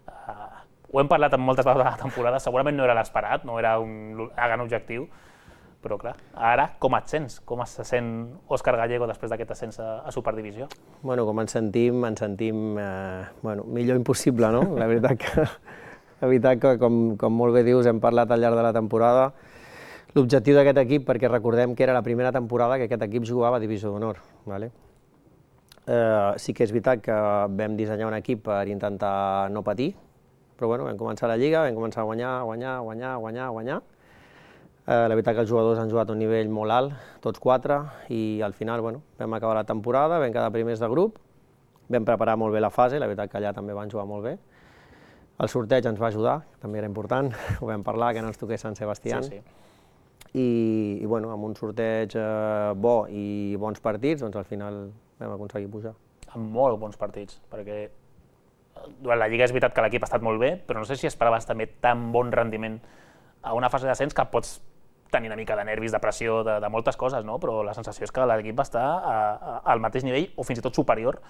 Uh, ho hem parlat moltes vegades a la temporada, segurament no era l'esperat, no era un gran objectiu, però clar, ara com et sents? Com se sent Òscar Gallego després d'aquest ascens a, a superdivisió? Bueno, com ens sentim, ens sentim eh, bueno, millor impossible, no? La veritat que La veritat que, com, com molt bé dius, hem parlat al llarg de la temporada. L'objectiu d'aquest equip, perquè recordem que era la primera temporada que aquest equip jugava a Divisió d'Honor. Vale? Eh, sí que és veritat que vam dissenyar un equip per intentar no patir, però bueno, vam començar la Lliga, vam començar a guanyar, guanyar, guanyar, guanyar, guanyar. Eh, la veritat que els jugadors han jugat a un nivell molt alt, tots quatre, i al final bueno, vam acabar la temporada, vam quedar primers de grup, vam preparar molt bé la fase, la veritat que allà també van jugar molt bé. El sorteig ens va ajudar, també era important, ho vam parlar, que no ens toqués Sant Sebastià. Sí, sí. I, i bueno, amb un sorteig eh, bo i bons partits, doncs al final vam aconseguir pujar. Amb molt bons partits, perquè durant la Lliga és veritat que l'equip ha estat molt bé, però no sé si esperaves també tan bon rendiment a una fase d'ascens que pots tenir una mica de nervis, de pressió, de, de moltes coses, no? Però la sensació és que l'equip va estar a, a, al mateix nivell o fins i tot superior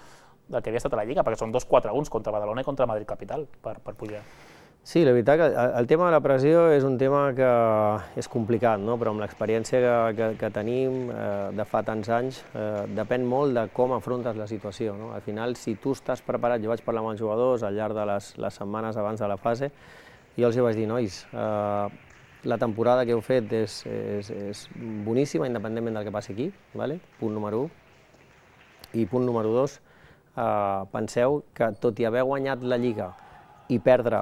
del que havia estat a la Lliga, perquè són dos quatre a un contra Badalona i contra Madrid Capital per, per pujar. Sí, la veritat que el tema de la pressió és un tema que és complicat, no? Però amb l'experiència que, que, que tenim eh, de fa tants anys, eh, depèn molt de com afrontes la situació, no? Al final, si tu estàs preparat, jo vaig parlar amb els jugadors al llarg de les, les setmanes abans de la fase, i els hi vaig dir, nois, eh, la temporada que heu fet és, és, és boníssima, independentment del que passi aquí, vale? Punt número u. I punt número dos, Uh, penseu que tot i haver guanyat la Lliga i perdre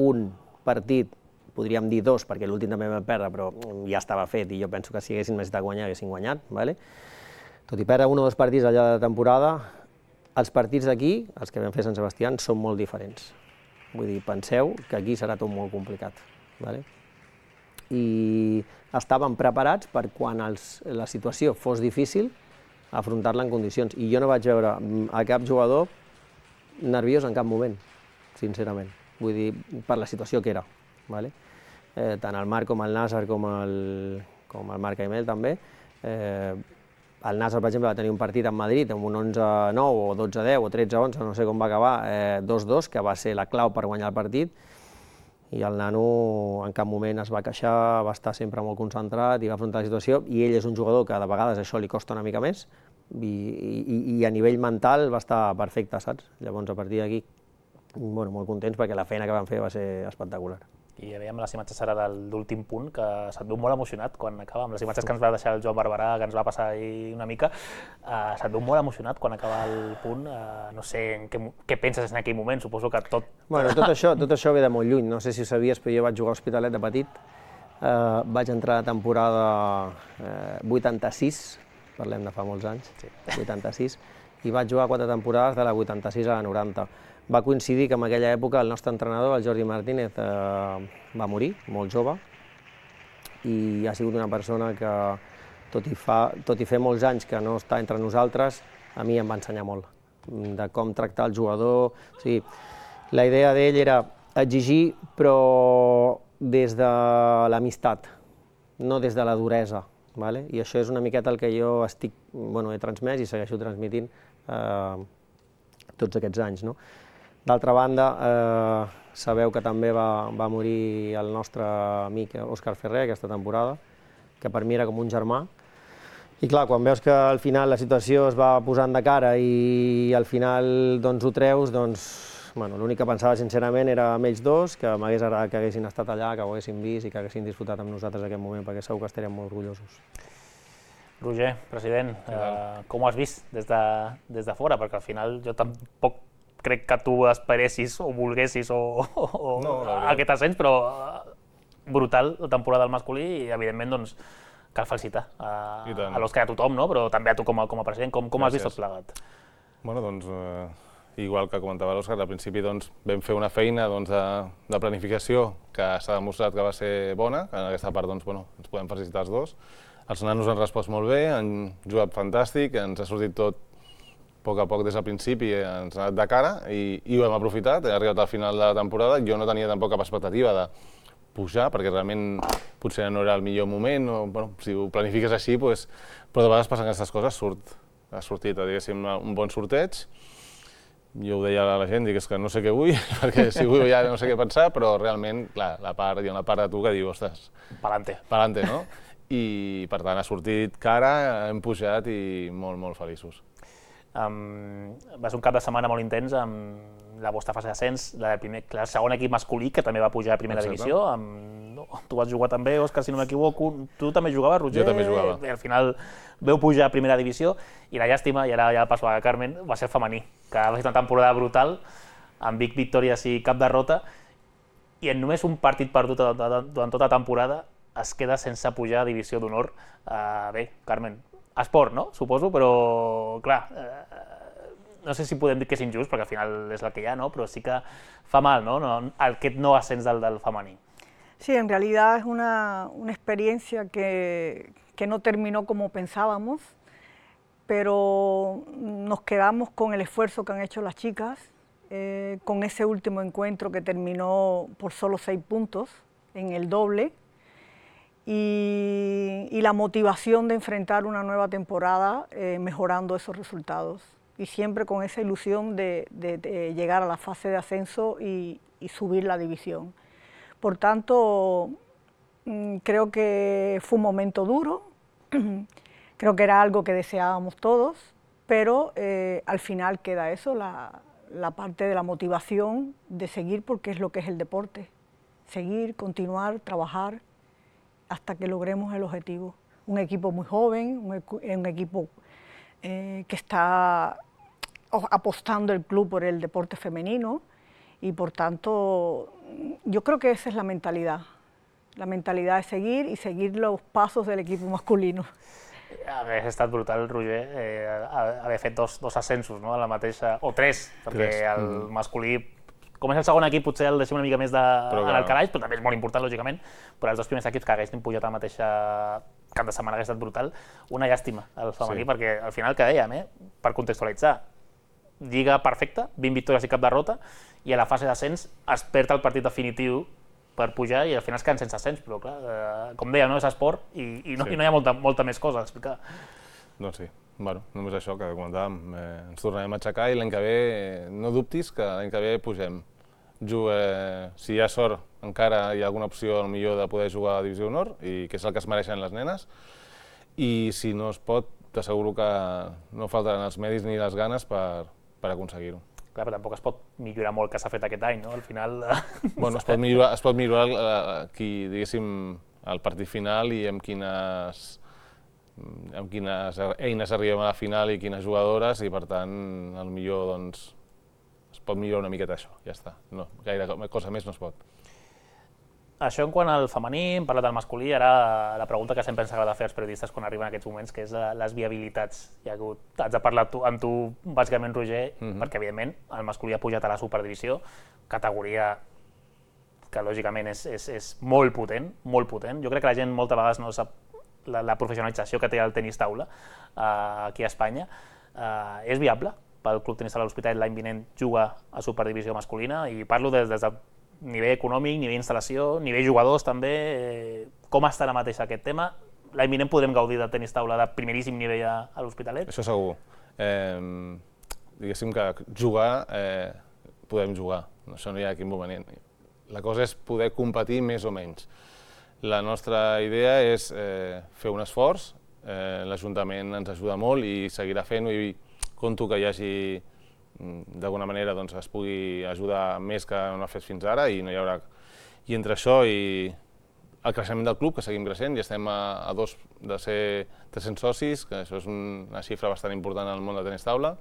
un partit, podríem dir dos, perquè l'últim també vam perdre, però ja estava fet i jo penso que si haguessin necessitat guanyar, haguessin guanyat, vale? Tot i perdre un o dos partits al llarg de la temporada, els partits d'aquí, els que vam fer a Sant Sebastià, són molt diferents. Vull dir, penseu que aquí serà tot molt complicat, vale? I estàvem preparats per quan els, la situació fos difícil, afrontar-la en condicions. I jo no vaig veure a cap jugador nerviós en cap moment, sincerament. Vull dir, per la situació que era. Vale? Eh, tant el Marc com el Nàsser, com el, com el Marc Aimel també. Eh, el Nàsser, per exemple, va tenir un partit en Madrid amb un onze a nou o dotze a deu o tretze a onze, no sé com va acabar, eh, dos dos, que va ser la clau per guanyar el partit. I el nano en cap moment es va queixar, va estar sempre molt concentrat i va afrontar la situació, i ell és un jugador que de vegades això li costa una mica més, i, i, i a nivell mental va estar perfecte, saps? Llavors, a partir d'aquí, bueno, molt contents perquè la feina que van fer va ser espectacular. I ja veiem les imatges ara de l'últim punt, que se't veu molt emocionat quan acaba, amb les imatges que ens va deixar el Joan Barberà, que ens va passar ahir una mica, uh, se't veu molt emocionat quan acaba el punt, uh, no sé en què, què penses en aquell moment, suposo que tot... Bueno, tot això, tot això ve de molt lluny, no sé si ho sabies, però jo vaig jugar a Hospitalet de petit, uh, vaig entrar a la temporada uh, vuitanta-sis, parlem de fa molts anys, vuitanta-sis, i vaig jugar quatre temporades de la vuitanta-sis a la noranta. Va coincidir que en aquella època el nostre entrenador, el Jordi Martínez, eh, va morir, molt jove, i ha sigut una persona que, tot i, fa, tot i fer molts anys que no està entre nosaltres, a mi em va ensenyar molt, de com tractar el jugador. O sigui, la idea d'ell era exigir, però des de l'amistat, no des de la duresa. Vale? I això és una miqueta el que jo estic, bueno, he transmès i segueixo transmitint eh, tots aquests anys. No? D'altra banda, eh, sabeu que també va, va morir el nostre amic Òscar Ferrer aquesta temporada, que per mi era com un germà. I clar, quan veus que al final la situació es va posant de cara i al final doncs, ho treus, doncs bueno, l'únic que pensava sincerament era amb ells dos, que m'hagués agradat que haguessin estat allà, que ho haguessin vist i que haguessin disfrutat amb nosaltres aquest moment, perquè segur que estaríem molt orgullosos. Roger, president, eh, com ho has vist des de, des de fora? Perquè al final jo tampoc crec que tu esperessis o volguessis o, o, o no, aquest ascens, però brutal la temporada del masculí i evidentment doncs, cal felicitar a, a l'Òscar i a tothom, no? Però també a tu com a, com a president. Com, com has vist tot plegat? Bueno, doncs, eh, igual que comentava l'Òscar, al principi doncs, vam fer una feina doncs, de, de planificació que s'ha demostrat que va ser bona, que en aquesta part doncs, bueno, ens podem felicitar els dos. Els nanos han respost molt bé, han jugat fantàstic, ens ha sortit tot a poc a poc des del principi, ens ha anat de cara i, i ho hem aprofitat, he arribat al final de la temporada, jo no tenia tampoc cap expectativa de pujar, perquè realment potser no era el millor moment, o, bueno, si ho planifiques així, pues, però de vegades passen aquestes coses, surt, ha sortit diguéssim, un bon sorteig. Jo ho deia a la gent, dic, és que no sé què vull, perquè si vull ja no sé què pensar, però realment, clar, la part, hi ha una part de tu que diu, ostres, Pa'lante. Pa'lante, no? I per tant ha sortit cara, hem pujat i molt, molt feliços. Um, va ser un cap de setmana molt intens amb la vostra fase d'ascens, el segon equip masculí, que també va pujar a primera Exacte. divisió. Amb, no, tu vas jugar també, Òscar, si no m'equivoco. Tu també jugaves, Roger? Jo també jugava. Al final veu pujar a primera divisió i la llàstima, i ara ja passo a Carmen, va ser el femení, que va ser una temporada brutal, amb vint victòries i cap derrota, i en només un partit perdut durant tota la temporada es queda sense pujar a divisió d'honor. Uh, bé, Carmen, esport, no? Suposo, però, clar, eh, no sé si podem dir que és injust, perquè al final és el que hi ha, ¿no? Però sí que fa mal, ¿no? No, aquest no ascens del, del femení. Sí, en realidad es una, una experiencia que, que no terminó como pensábamos, pero nos quedamos con el esfuerzo que han hecho las chicas, eh, con ese último encuentro que terminó por solo seis puntos en el doble, Y, y la motivación de enfrentar una nueva temporada eh, mejorando esos resultados y siempre con esa ilusión de, de, de llegar a la fase de ascenso y, y subir la división. Por tanto, mmm, creo que fue un momento duro, creo que era algo que deseábamos todos, pero eh, al final queda eso, la, la parte de la motivación de seguir, porque es lo que es el deporte, seguir, continuar, trabajar hasta que logremos el objetivo. Un equipo muy joven, un, un equipo eh, que está apostando el club por el deporte femenino y por tanto yo creo que esa es la mentalidad, la mentalidad de seguir y seguir los pasos del equipo masculino. Hauria estat brutal, Roger, eh, haver fet dos, dos ascensos, no? A la mateixa, o tres, perquè tres. El mm. masculí, com és el segon equip, potser el deixem una mica més de, però, en el calaix, però també és molt important, lògicament, però els dos primers equips que haguessin pujat a la mateixa cap de setmana hauria estat brutal, una llàstima al femení, sí. Perquè al final que dèiem, eh, per contextualitzar, lliga perfecta, vint victòries i cap derrota, i a la fase d'ascens es perd el partit definitiu per pujar i al final es queden sense ascens, però clar, eh, com deia, no és esport i, i, no, sí. i no hi ha molta, molta més cosa a explicar. Doncs sí, bueno, només això que comentàvem, eh, ens tornarem a aixecar i l'any que ve, eh, no dubtis que l'any que ve pugem. Jugue, si hi ha sort, encara hi ha alguna opció millor de poder jugar a la Divisió d'Honor, i que és el que es mereixen les nenes, i si no es pot, t'asseguro que no faltaran els medis ni les ganes per, per aconseguir-ho. Clar, però tampoc es pot millorar molt el que s'ha fet aquest any, no? Al final... Bueno, es pot millorar, es pot millorar aquí, diguéssim, el partit final i amb quines, amb quines eines arribem a la final i quines jugadores, i per tant, el millor, doncs, es pot millorar una miqueta això, ja està. No, gaire cosa més no es pot. Això en quant al femení, hem parlat del masculí, ara la pregunta que sempre ens agrada fer als periodistes quan arriben aquests moments, que és les viabilitats. Ja que haig de parlar amb tu, bàsicament, Roger, perquè, evidentment, el masculí ha pujat a la superdivisió, categoria que, lògicament, és molt potent, molt potent. Jo crec que la gent moltes vegades no sap la professionalització que té el tenis taula aquí a Espanya. És viable pel Club Tenis Taula L'Hospitalet l'any vinent jugar a superdivisió masculina, i parlo des del nivell econòmic, nivell instal·lació, nivell jugadors també. Com està ara mateix aquest tema? L'any vinent podrem gaudir del tenis taula de primeríssim nivell a l'Hospitalet? Això segur. Diguéssim que jugar, podem jugar, això no hi ha cap inconvenient. La cosa és poder competir més o menys. La nostra idea és fer un esforç, l'Ajuntament ens ajuda molt i seguirà fent-ho, i compto que hi hagi d'alguna manera es pugui ajudar més que no ha fet fins ara, i no hi haurà... I entre això i el creixement del club, que seguim creixent, i estem a dos de ser tres-cents socis, que això és una xifra bastant important en el món de tenis taula,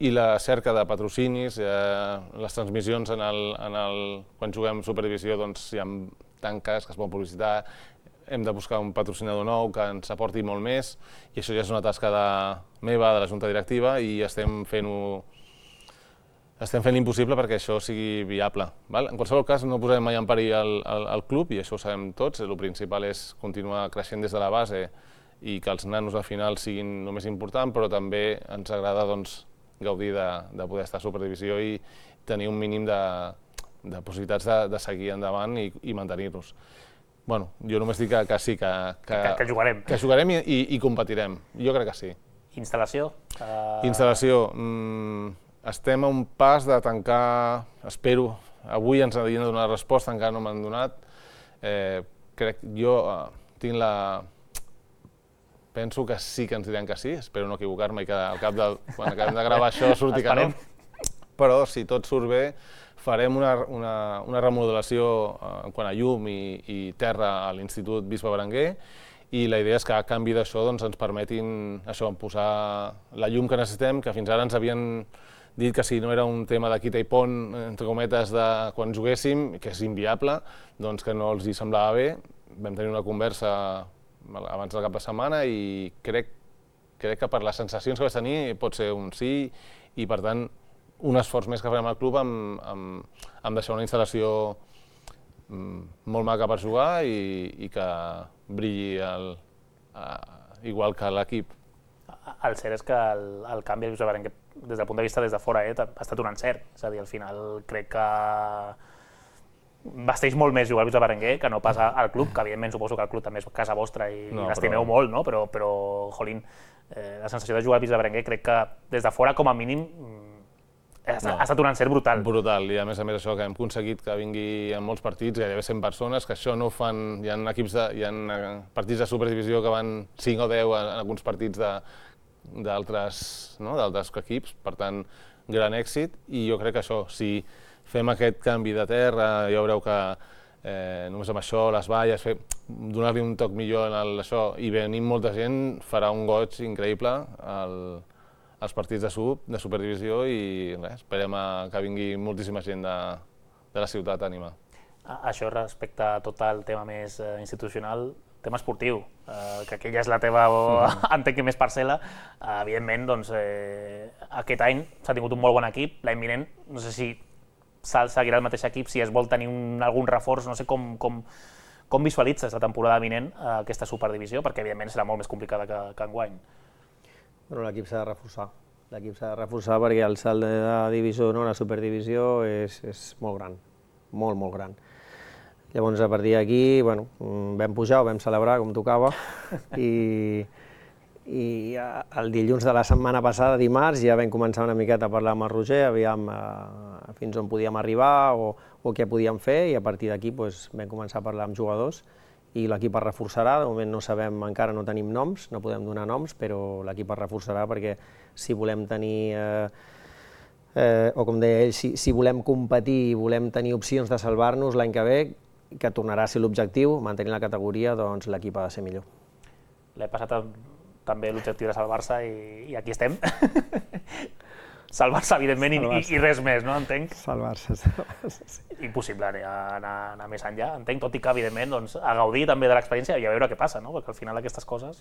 i la cerca de patrocinis, les transmissions quan juguem superdivisió hi ha tanques que es poden publicitar, hem de buscar un patrocinador nou que ens aporti molt més, i això ja és una tasca meva, de la Junta Directiva, i estem fent-ho estem fent l'impossible perquè això sigui viable. En qualsevol cas, no posarem mai en perill el club, i això ho sabem tots. El principal és continuar creixent des de la base i que els nanos al final siguin el més important, però també ens agrada gaudir de poder estar a superdivisió i tenir un mínim de possibilitats de seguir endavant i mantenir-nos. Bueno, jo només dic que sí, que jugarem. Que jugarem i competirem. Jo crec que sí. Instal·lació? Instal·lació. Estem a un pas de tancar, espero, avui ens havien de donar resposta, encara no m'han donat. Crec, jo tinc la... Penso que sí que ens diran que sí, espero no equivocar-me i que al cap de... quan acabem de gravar això surti que no. Però si tot surt bé, farem una remodelació en quant a llum i terra a l'Institut Bisbe Berenguer, i la idea és que a canvi d'això ens permetin posar la llum que necessitem, que fins ara ens havien dit que si no era un tema de quita i pont, entre cometes, de quan juguéssim, que és inviable, doncs que no els hi semblava bé. Vam tenir una conversa abans del cap de setmana i crec que per les sensacions que vaig tenir pot ser un sí, i per tant un esforç més que farem al club amb deixar una instal·lació molt maca per jugar i que brilli igual que l'equip. El cert és que el canvi al Bisbe Berenguer, des del punt de vista des de fora, ha estat un encert. És a dir, al final crec que vesteix molt més jugar al Bisbe Berenguer que no pas al club, que evidentment suposo que el club també és casa vostra i l'estimeu molt, però, jolín, la sensació de jugar al Bisbe Berenguer crec que des de fora, com a mínim, ha estat un encert brutal. Brutal, i a més a més això que hem aconseguit que vingui en molts partits, gairebé cent persones, que això no ho fan... Hi ha equips de... hi ha partits de superdivisió que van cinc o deu en alguns partits d'altres equips, per tant, gran èxit, i jo crec que això, si fem aquest canvi de terra, ja veureu que només amb això, les valles, donar-li un toc millor en això, i venint molta gent, farà un goig increïble als partits de superdivisió, i esperem que vingui moltíssima gent de la ciutat a animar. Això respecte a tot el tema més institucional, tema esportiu, que aquella és la teva, entenc que més parcel·la, evidentment, doncs, aquest any s'ha tingut un molt bon equip, l'any vinent, no sé si seguirà el mateix equip, si es vol tenir algun reforç, no sé com visualitzes la temporada vinent aquesta superdivisió, perquè evidentment serà molt més complicada que enguany. L'equip s'ha de reforçar, l'equip s'ha de reforçar perquè el salt de la divisió d'honor a superdivisió és molt gran, molt, molt gran. Llavors, a partir d'aquí, vam pujar, ho vam celebrar com tocava, i el dilluns de la setmana passada, dimarts, ja vam començar una miqueta a parlar amb el Roger, aviam fins on podíem arribar o què podíem fer, i a partir d'aquí vam començar a parlar amb jugadors, i l'equip es reforçarà. De moment no sabem, encara no tenim noms, no podem donar noms, però l'equip es reforçarà perquè si volem tenir, o com deia ell, si volem competir i volem tenir opcions de salvar-nos l'any que ve, que tornarà a ser l'objectiu, mantenir la categoria, doncs l'equip ha de ser millor. L'he passat també l'objectiu de salvar-se i aquí estem. salvar-se, evidentment, i, i res més, no? Entenc? Salvar-se, salvar-se, sí. Impossible anar, anar més enllà, entenc, tot i que, evidentment, doncs, a gaudir també de l'experiència i a veure què passa, no? Perquè al final aquestes coses...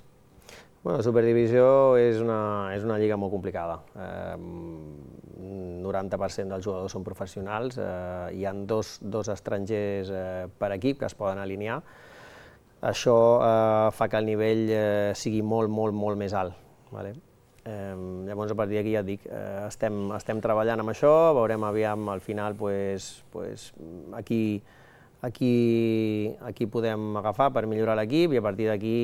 Bueno, la Superdivisió és una, és una lliga molt complicada. Eh, noranta per cent dels jugadors són professionals, eh, hi ha dos, dos estrangers eh, per equip que es poden alinear. Això eh, fa que el nivell eh, sigui molt, molt, molt més alt. Vale? Eh, llavors, a partir d'aquí ja et dic, eh, estem, estem treballant amb això, veurem aviam al final pues, pues, aquí, aquí, aquí podem agafar per millorar l'equip i a partir d'aquí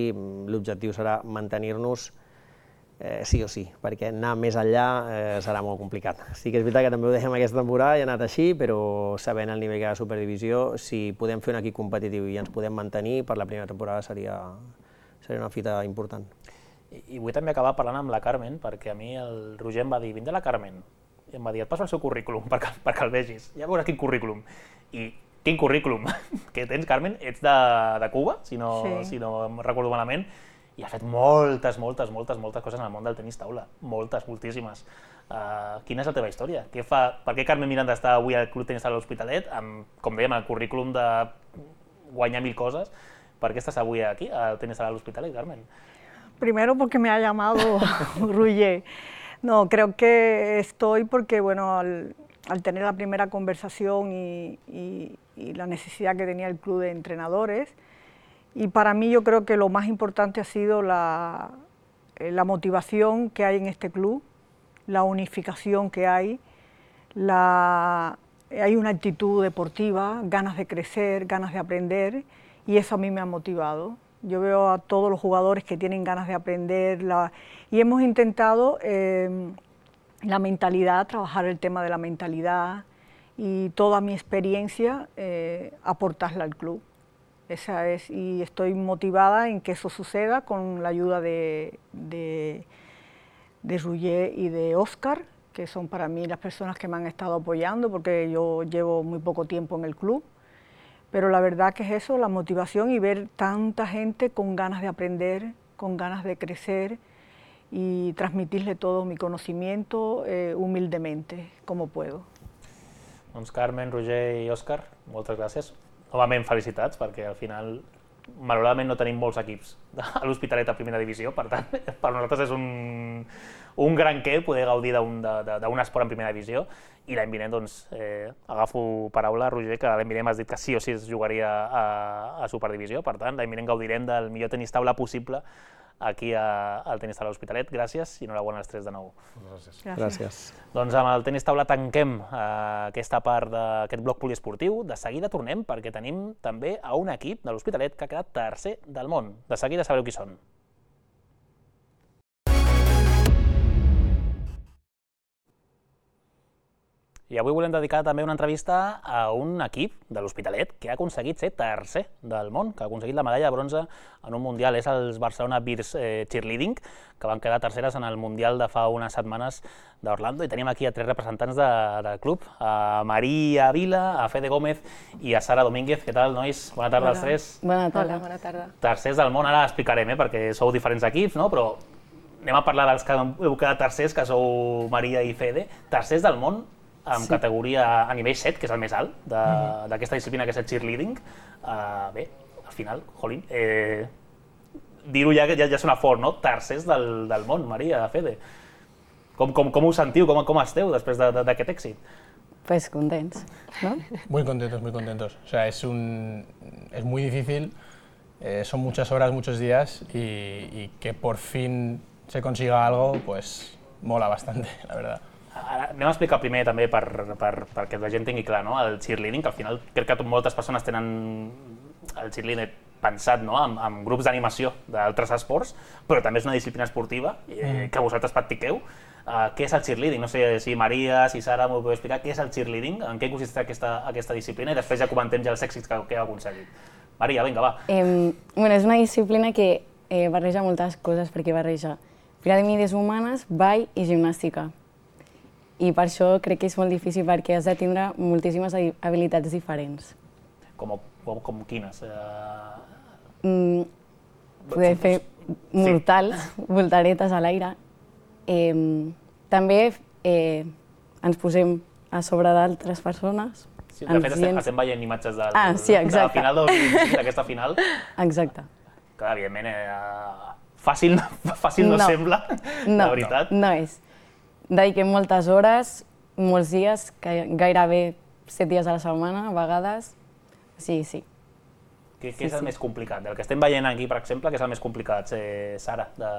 l'objectiu serà mantenir-nos eh, sí o sí, perquè anar més enllà eh, serà molt complicat. Sí que és veritat que també ho dèiem aquesta temporada i ha anat així, però sabent el nivell que hi ha a Superdivisió, si podem fer un equip competitiu i ens podem mantenir, per la primera temporada seria, seria una fita important. I, I vull també acabar parlant amb la Carmen, perquè a mi el Roger em va dir, vindrà la Carmen, i em va dir, et passo el seu currículum perquè, perquè el vegis, ja veuràs quin currículum. I quin currículum que tens, Carmen, ets de, de Cuba, si no, sí. si no em recordo malament, i ha fet moltes, moltes, moltes, moltes coses en el món del tenis taula, moltes, moltíssimes. Uh, quina és la teva història? Què fa, per què Carmen Miranda està avui al Club Tenis Taula L'Hospitalet, amb, com dèiem, el currículum de guanyar mil coses? Per qué estás hoy aquí, al Tenis Taula L'Hospitalet, Carmen? Primero porque me ha llamado Roger. No, creo que estoy porque, bueno, al, al tener la primera conversación y, y, y la necesidad que tenía el club de entrenadores, y para mí yo creo que lo más importante ha sido la, la motivación que hay en este club, la unificación que hay, la, hay una actitud deportiva, ganas de crecer, ganas de aprender, y eso a mí me ha motivado. Yo veo a todos los jugadores que tienen ganas de aprender la, y hemos intentado eh, la mentalidad, trabajar el tema de la mentalidad y toda mi experiencia eh, aportarla al club. Esa es, y estoy motivada en que eso suceda con la ayuda de, de, de Roger y de Óscar, que son para mí las personas que me han estado apoyando porque yo llevo muy poco tiempo en el club. Pero la verdad que es eso, la motivación y ver tanta gente con ganas de aprender, con ganas de crecer y transmitirle todo mi conocimiento eh, humildemente, como puedo. Doncs Carmen, Roger i Òscar, moltes gràcies. Novament felicitats, perquè al final, malauradament no tenim molts equips a l'Hospitalet a primera divisió, per tant, per nosaltres és un, un gran què poder gaudir d'un esport en primera divisió. I l'any vinent, doncs, eh, agafo paraula, Roger, que l'any vinent m'has dit que sí o sí es jugaria a, a Superdivisió, per tant, l'any vinent gaudirem del millor tenis taula possible aquí a, al Tenis Taula L'Hospitalet. Gràcies i enhorabona als tres de nou. Gràcies. Gràcies. Doncs amb el Tenis Taula tanquem eh, aquesta part d'aquest bloc poliesportiu. De seguida tornem perquè tenim també a un equip de l'Hospitalet que ha quedat tercer del món. De seguida sabreu qui són. I avui volem dedicar també una entrevista a un equip de l'Hospitalet que ha aconseguit ser tercer del món, que ha aconseguit la medalla de bronze en un mundial. És els Barcelona Bears eh, Cheerleading, que van quedar terceres en el mundial de fa unes setmanes d'Orlando. I tenim aquí a tres representants de, del club, a Maria Vila, a Fede Gómez i a Sara Domínguez. Què tal, nois? Bona tarda als tres. Bona tarda. Bona tarda. Tercers del món, ara explicarem, eh, perquè sou diferents equips, no? Però anem a parlar dels que heu quedat tercers, que sou Maria i Fede. Tercers del món, amb sí. categoria a nivell set, que és el més alt d'aquesta mm-hmm. disciplina, que és el cheerleading. Uh, bé, al final, jolín, eh, dir-ho ja, ja, ja sona fort, no? Tercers del, del món, Maria, Fede. Com, com, com us sentiu, com, com esteu després d'aquest de, èxit? Pues contents, ¿no? Muy contentos, muy contentos. O sea, es, un, es muy difícil, eh, son muchas horas, muchos días y, y que por fin se consiga algo, pues mola bastante, la verdad. Ara anem a explicar primer també per, per, perquè la gent tingui clar, no? El cheerleading, que al final crec que moltes persones tenen el cheerleading pensat, no? amb, amb grups d'animació d'altres esports, però també és una disciplina esportiva eh, que vosaltres practiqueu. Uh, què és el cheerleading? No sé si Maria, si Sara m'ho podeu explicar. Què és el cheerleading? En què consisteix aquesta, aquesta disciplina? I després ja comentem ja els èxits que, que heu aconseguit. Maria, vinga, va. Eh, bueno, és una disciplina que eh, barreja moltes coses, perquè barreja piràmides humanes, ball i gimnàstica. I per això crec que és molt difícil perquè has de tindre moltíssimes habilitats diferents. Com, com, com quines? Uh... Mm, poder fer mortals, sí. voltaretes a l'aire. Eh, també eh, ens posem a sobre d'altres persones. Sí, de fet, estem, estem veient imatges del, ah, sí, de la final del dos mil vint-cinc, d'aquesta final. Exacte. Que, evidentment, eh, fàcil, fàcil no, no sembla, no, la veritat. No, no és. Dediquem moltes hores, molts dies, gairebé set dies a la setmana, a vegades. Sí, sí. Què, sí, què és el sí. més complicat? El que estem veient aquí, per exemple, què és el més complicat, Sara? De...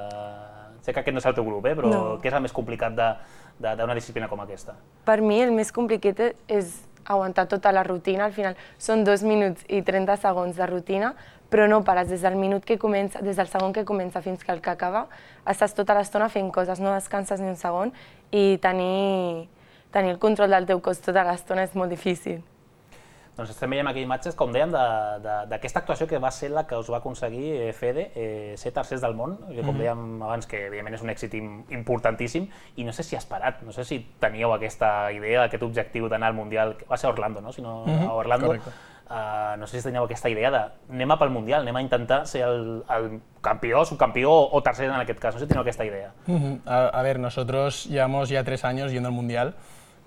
Sé que aquest no és el teu grup, eh? però no. Què és el més complicat d'una disciplina com aquesta? Per mi el més complicat és aguantar tota la rutina. Al final són dos minuts i trenta segons de rutina, però no pares des del minut que comença, des del segon que comença fins que el que acaba, estàs tota l'estona fent coses, no descanses ni un segon i tenir, tenir el control del teu cos tota l'estona és molt difícil. Doncs estem veient aquí imatges, com dèiem, d'aquesta actuació que va ser la que us va aconseguir Fede, eh, ser tercers del món, que com dèiem abans, que evidentment és un èxit importantíssim, i no sé si esperat, no sé si teníeu aquesta idea, aquest objectiu d'anar al Mundial, va ser a Orlando, no? Si no, a Orlando. Uh, no sé si teníeu aquesta idea de anem a pel Mundial, anem a intentar ser el, el campió, subcampió o tercer en aquest cas, no sé si teníeu aquesta idea. Uh-huh. a, a ver, nosotros llevamos ya tres años yendo al Mundial.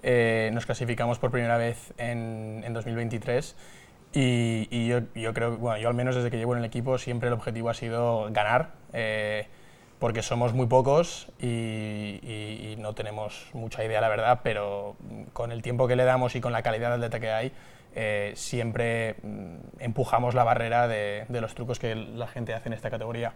Eh, nos clasificamos por primera vez en, en dos mil veintitrés y, y yo, yo creo, bueno, yo al menos desde que llevo en el equipo siempre el objetivo ha sido ganar, eh, porque somos muy pocos y, y, y no tenemos mucha idea, la verdad, pero con el tiempo que le damos y con la calidad de atleta que hay, eh, siempre empujamos la barrera de, de los trucos que la gente hace en esta categoría.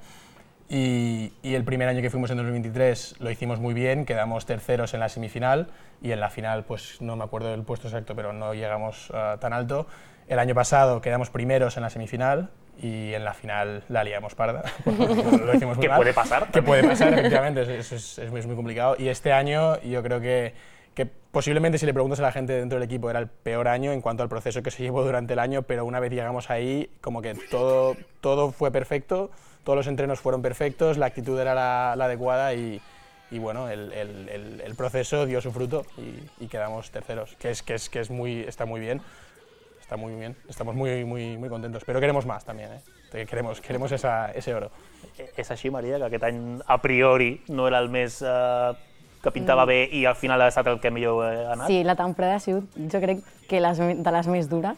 Y, y el primer año que fuimos en dos mil veintitrés lo hicimos muy bien, quedamos terceros en la semifinal y en la final, pues no me acuerdo del puesto exacto, pero no llegamos uh, tan alto. El año pasado quedamos primeros en la semifinal y en la final la liamos parda. Lo hicimos muy ¿Qué mal. puede pasar? ¿Qué puede pasar? Efectivamente, es, es, es, muy, es muy complicado. Y este año yo creo que, que posiblemente si le preguntas a la gente dentro del equipo era el peor año en cuanto al proceso que se llevó durante el año, pero una vez llegamos ahí, como que todo, todo fue perfecto. Todos los entrenos fueron perfectos, la actitud era la, la adecuada y, y bueno, el, el, el, el proceso dio su fruto y, y quedamos terceros, que, es, que, es, que es muy, está muy bien, está muy bien, estamos muy, muy, muy contentos, pero queremos más también, ¿eh? queremos, queremos esa, ese oro. És així, Maria, que aquest any a priori no era el més eh, que pintava mm. bé i al final ha estat el que millor ha anat? Sí, la temporada ha sigut, jo crec, que les, de les més dures,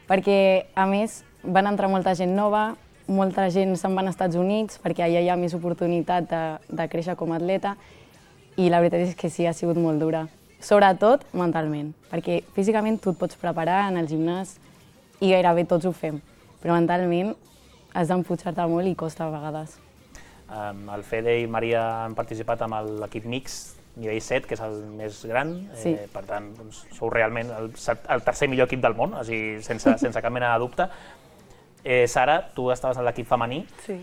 perquè a més van entrar molta gent nova, molta gent se'n va als Estats Units perquè allà hi ha més oportunitat de, de créixer com a atleta i la veritat és que sí, ha sigut molt dura. Sobretot mentalment, perquè físicament tu et pots preparar en el gimnàs i gairebé tots ho fem, però mentalment has d'empujar-te molt i costa a vegades. Um, el Fede i Maria han participat amb l'equip mix nivell set, que és el més gran, sí. eh, per tant, doncs, sou realment el, el tercer millor equip del món, o sigui, sense, sense cap mena de dubte. Eh, Sara, tu estaves en l'equip femení sí.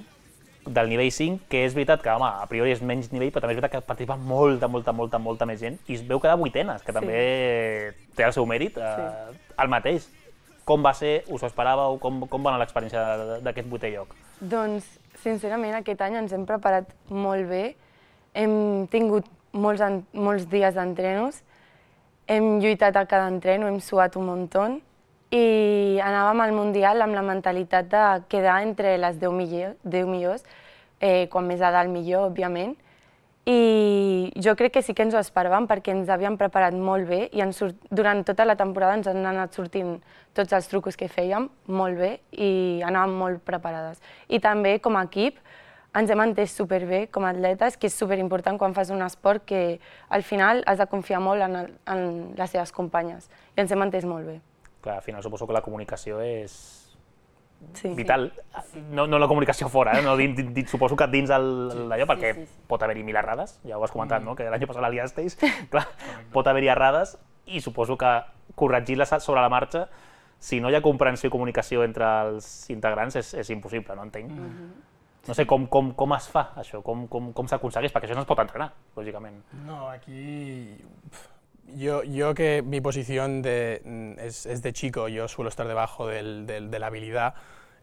del nivell cinc, que és veritat que, home, a priori és menys nivell, però també és veritat que participa molta, molta, molta, molta més gent i es veu quedar vuitenes, que sí. també té el seu mèrit. Eh, sí. El mateix. Com va ser? Us ho esperàveu? Com, com va anar l'experiència d'aquest vuitè lloc? Doncs, sincerament, aquest any ens hem preparat molt bé. Hem tingut molts, molts dies d'entrenos, hem lluitat a cada entreno, hem suat un muntó, i anàvem al Mundial amb la mentalitat de quedar entre les deu millors, eh, quan més a dalt millor, òbviament. I jo crec que sí que ens ho esperàvem perquè ens havíem preparat molt bé i ens surt, durant tota la temporada ens han anat sortint tots els trucos que fèiem molt bé i anàvem molt preparades. I també com a equip ens hem entès superbé com a atletes, que és superimportant quan fas un esport que al final has de confiar molt en, el, en les teves companyes i ens hem entès molt bé. Clar, al final suposo que la comunicació és sí, vital, sí. No, no la comunicació fora, eh? No, din, din, suposo que dins d'allò, perquè sí, sí, sí. pot haver-hi mil errades, ja ho has comentat, mm. no? Que l'any passat la liasteis, clar, pot haver-hi errades i suposo que corregir-les sobre la marxa, si no hi ha comprensió i comunicació entre els integrants, és, és impossible, no entenc. Mm -hmm. No sé com, com, com es fa això, com, com, com s'aconsegueix, perquè això no es pot entrenar, lògicament. No, aquí... Yo, yo que mi posición de, es, es de chico, yo suelo estar debajo del, del, de la habilidad,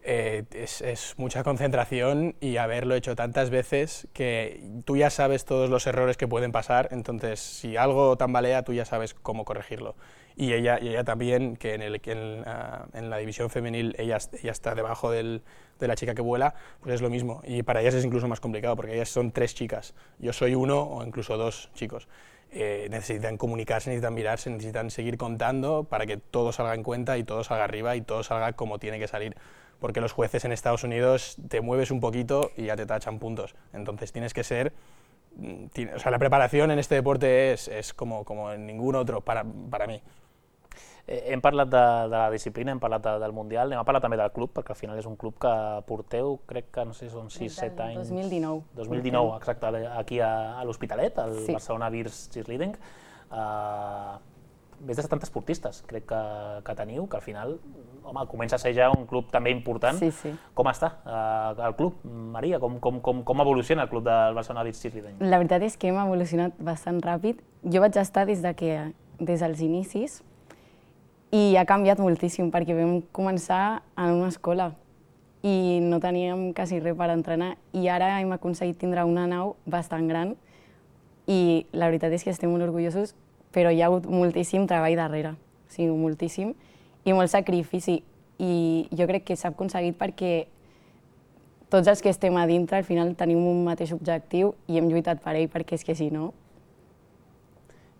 eh, es, es mucha concentración y haberlo hecho tantas veces que tú ya sabes todos los errores que pueden pasar, entonces si algo tambalea tú ya sabes cómo corregirlo. Y ella, y ella también, que en, el, en, uh, en la división femenil ella, ella está debajo del, de la chica que vuela, pues es lo mismo. Y para ellas es incluso más complicado porque ellas son tres chicas, yo soy uno o incluso dos chicos. eh, necesitan comunicarse, necesitan mirarse, necesitan seguir contando para que todo salga en cuenta y todo salga arriba y todo salga como tiene que salir. Porque los jueces en Estados Unidos te mueves un poquito y ya te tachan puntos. Entonces tienes que ser... O sea, la preparación en este deporte es, es como, como en ningún otro para, para mí. Eh, hem parlat de, de la disciplina, hem parlat de, del Mundial, anem a parlar també del club, perquè al final és un club que porteu, crec que no sé si són sis set anys... dos mil dinou. dos mil dinou, exacte, aquí a, a l'Hospitalet, al Sí. Barcelona Bears Cheerleading. Uh, més de setanta esportistes, crec que, que teniu, que al final, home, comença a ser ja un club també important. Sí, sí. Com està uh, el club, Maria? Com, com, com, com evoluciona el club del Barcelona Bears Cheerleading? La veritat és que hem evolucionat bastant ràpid. Jo vaig estar des, de que, des dels inicis i ha canviat moltíssim perquè vam començar en una escola i no teníem quasi res per entrenar i ara hem aconseguit tindre una nau bastant gran i la veritat és que estem molt orgullosos, però hi ha hagut moltíssim treball darrere, o sigui, moltíssim, i molt sacrifici. I jo crec que s'ha aconseguit perquè tots els que estem a dintre al final tenim un mateix objectiu i hem lluitat per ell, perquè és que si no...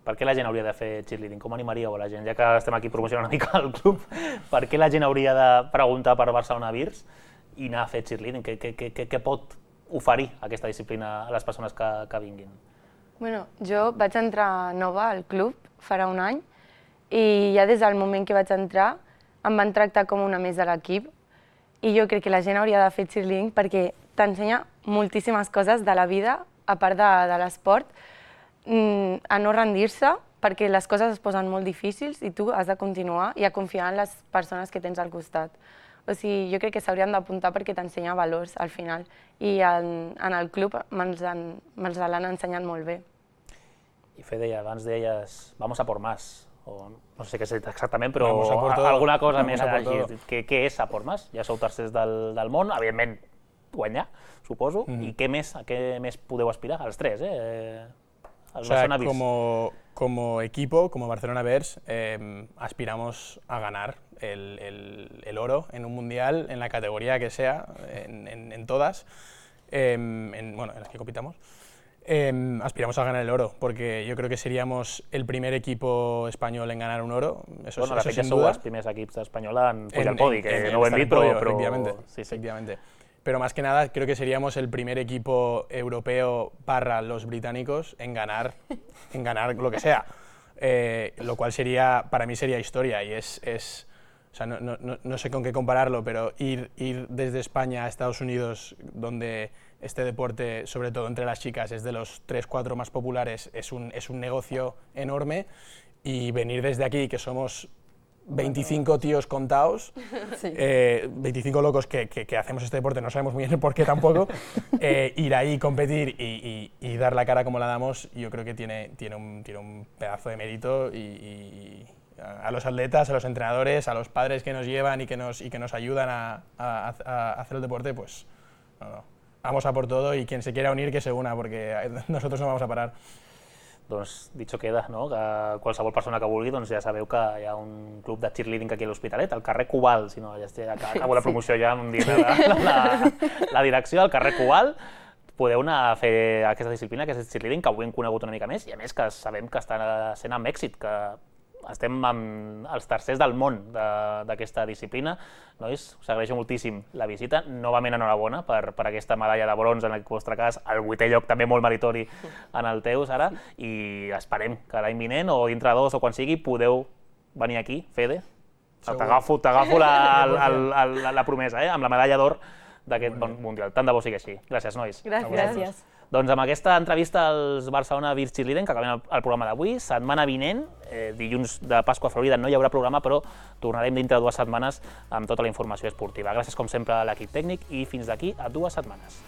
Per què la gent hauria de fer cheerleading? Com animaríeu a la gent? Ja que estem aquí promocionant una mica el club, per què la gent hauria de preguntar per Barcelona Bears i anar a fer cheerleading? Què, què, què, què pot oferir aquesta disciplina a les persones que, que vinguin? Bueno, jo vaig entrar nova al club farà un any i ja des del moment que vaig entrar em van tractar com una més de l'equip i jo crec que la gent hauria de fer cheerleading perquè t'ensenya moltíssimes coses de la vida, a part de, de l'esport, a no rendir-se perquè les coses es posen molt difícils i tu has de continuar i a confiar en les persones que tens al costat. O sigui, jo crec que s'haurien d'apuntar perquè t'ensenya valors al final i en, en el club me'ls me l'han ensenyat molt bé. I Fede, abans deies, vamos a por más, o no sé què és exactament, però Vamos a por todo. alguna cosa més Vamos a por així. todo. Què, què és a por más? Ja sou tercers del, del món, evidentment guanyar, suposo, Mhm. i què més, a què més podeu aspirar? Els tres, eh? El O sea, Barcelona Bears. como, como equipo, como Barcelona Bears, eh, aspiramos a ganar el, el, el oro en un mundial, en la categoría que sea, en, en, en todas, eh, en, bueno, en las que compitamos. Eh, aspiramos a ganar el oro, porque yo creo que seríamos el primer equipo español en ganar un oro, eso, Bueno, eso de fet, ja sin sou duda. els primers equips espanyola en pujar En- al podi, en- que en- no ho en hem estar dit, en però... podio, però... efectivamente, Sí, sí. efectivamente. Pero más que nada creo que seríamos el primer equipo europeo barra los británicos en ganar, en ganar lo que sea, eh, lo cual sería, para mí sería historia y es, es o sea, no, no, no- no sé con qué compararlo, pero ir, ir desde España a Estados Unidos, donde este deporte, sobre todo entre las chicas, es de los tres cuatro más populares, es un, es un negocio enorme, y venir desde aquí, que somos veinticinco tíos contados, Sí. eh, veinticinco locos que, que, que hacemos este deporte, no sabemos muy bien el por qué tampoco, eh, ir ahí, competir y, y, y dar la cara como la damos, yo creo que tiene, tiene, un, tiene un pedazo de mérito y, y a a los atletas, a los entrenadores, a los padres que nos llevan y que nos, y que nos ayudan a, a, a hacer el deporte, pues no, no, vamos a por todo y quien se quiera unir que se una, porque nosotros no vamos a parar. Doncs, dicho queda, no? Que qualsevol persona que vulgui, doncs ja sabeu que hi ha un club de cheerleading aquí a l'Hospitalet, al carrer Cubal, si no, ja estic, acabo la promoció ja amb dir la, la, la direcció, al carrer Cubal, podeu anar a fer aquesta disciplina, que és el cheerleading, que avui hem conegut una mica més, i a més que sabem que està sent amb èxit, que estem amb els tercers del món d'aquesta disciplina. Nois, us agraeixo moltíssim la visita. Novament enhorabona per, per aquesta medalla de bronze en el vostre cas, el vuitè lloc també molt meritori en el teu, Sara, i esperem que l'any vinent o dintre dos o quan sigui podeu venir aquí, Fede. T'agafo t'agafo la, la, la, la, la promesa, eh? Amb la medalla d'or d'aquest bon mundial. Tant de bo sigui així. Gràcies, nois. Gràcies. Gràcies. Doncs amb aquesta entrevista als Barcelona Bears Cheerleading, que acabem el, el programa d'avui, setmana vinent, eh, dilluns de Pasqua a Florida, no hi haurà programa, però tornarem dintre de dues setmanes amb tota la informació esportiva. Gràcies, com sempre, a l'equip tècnic i fins d'aquí a dues setmanes.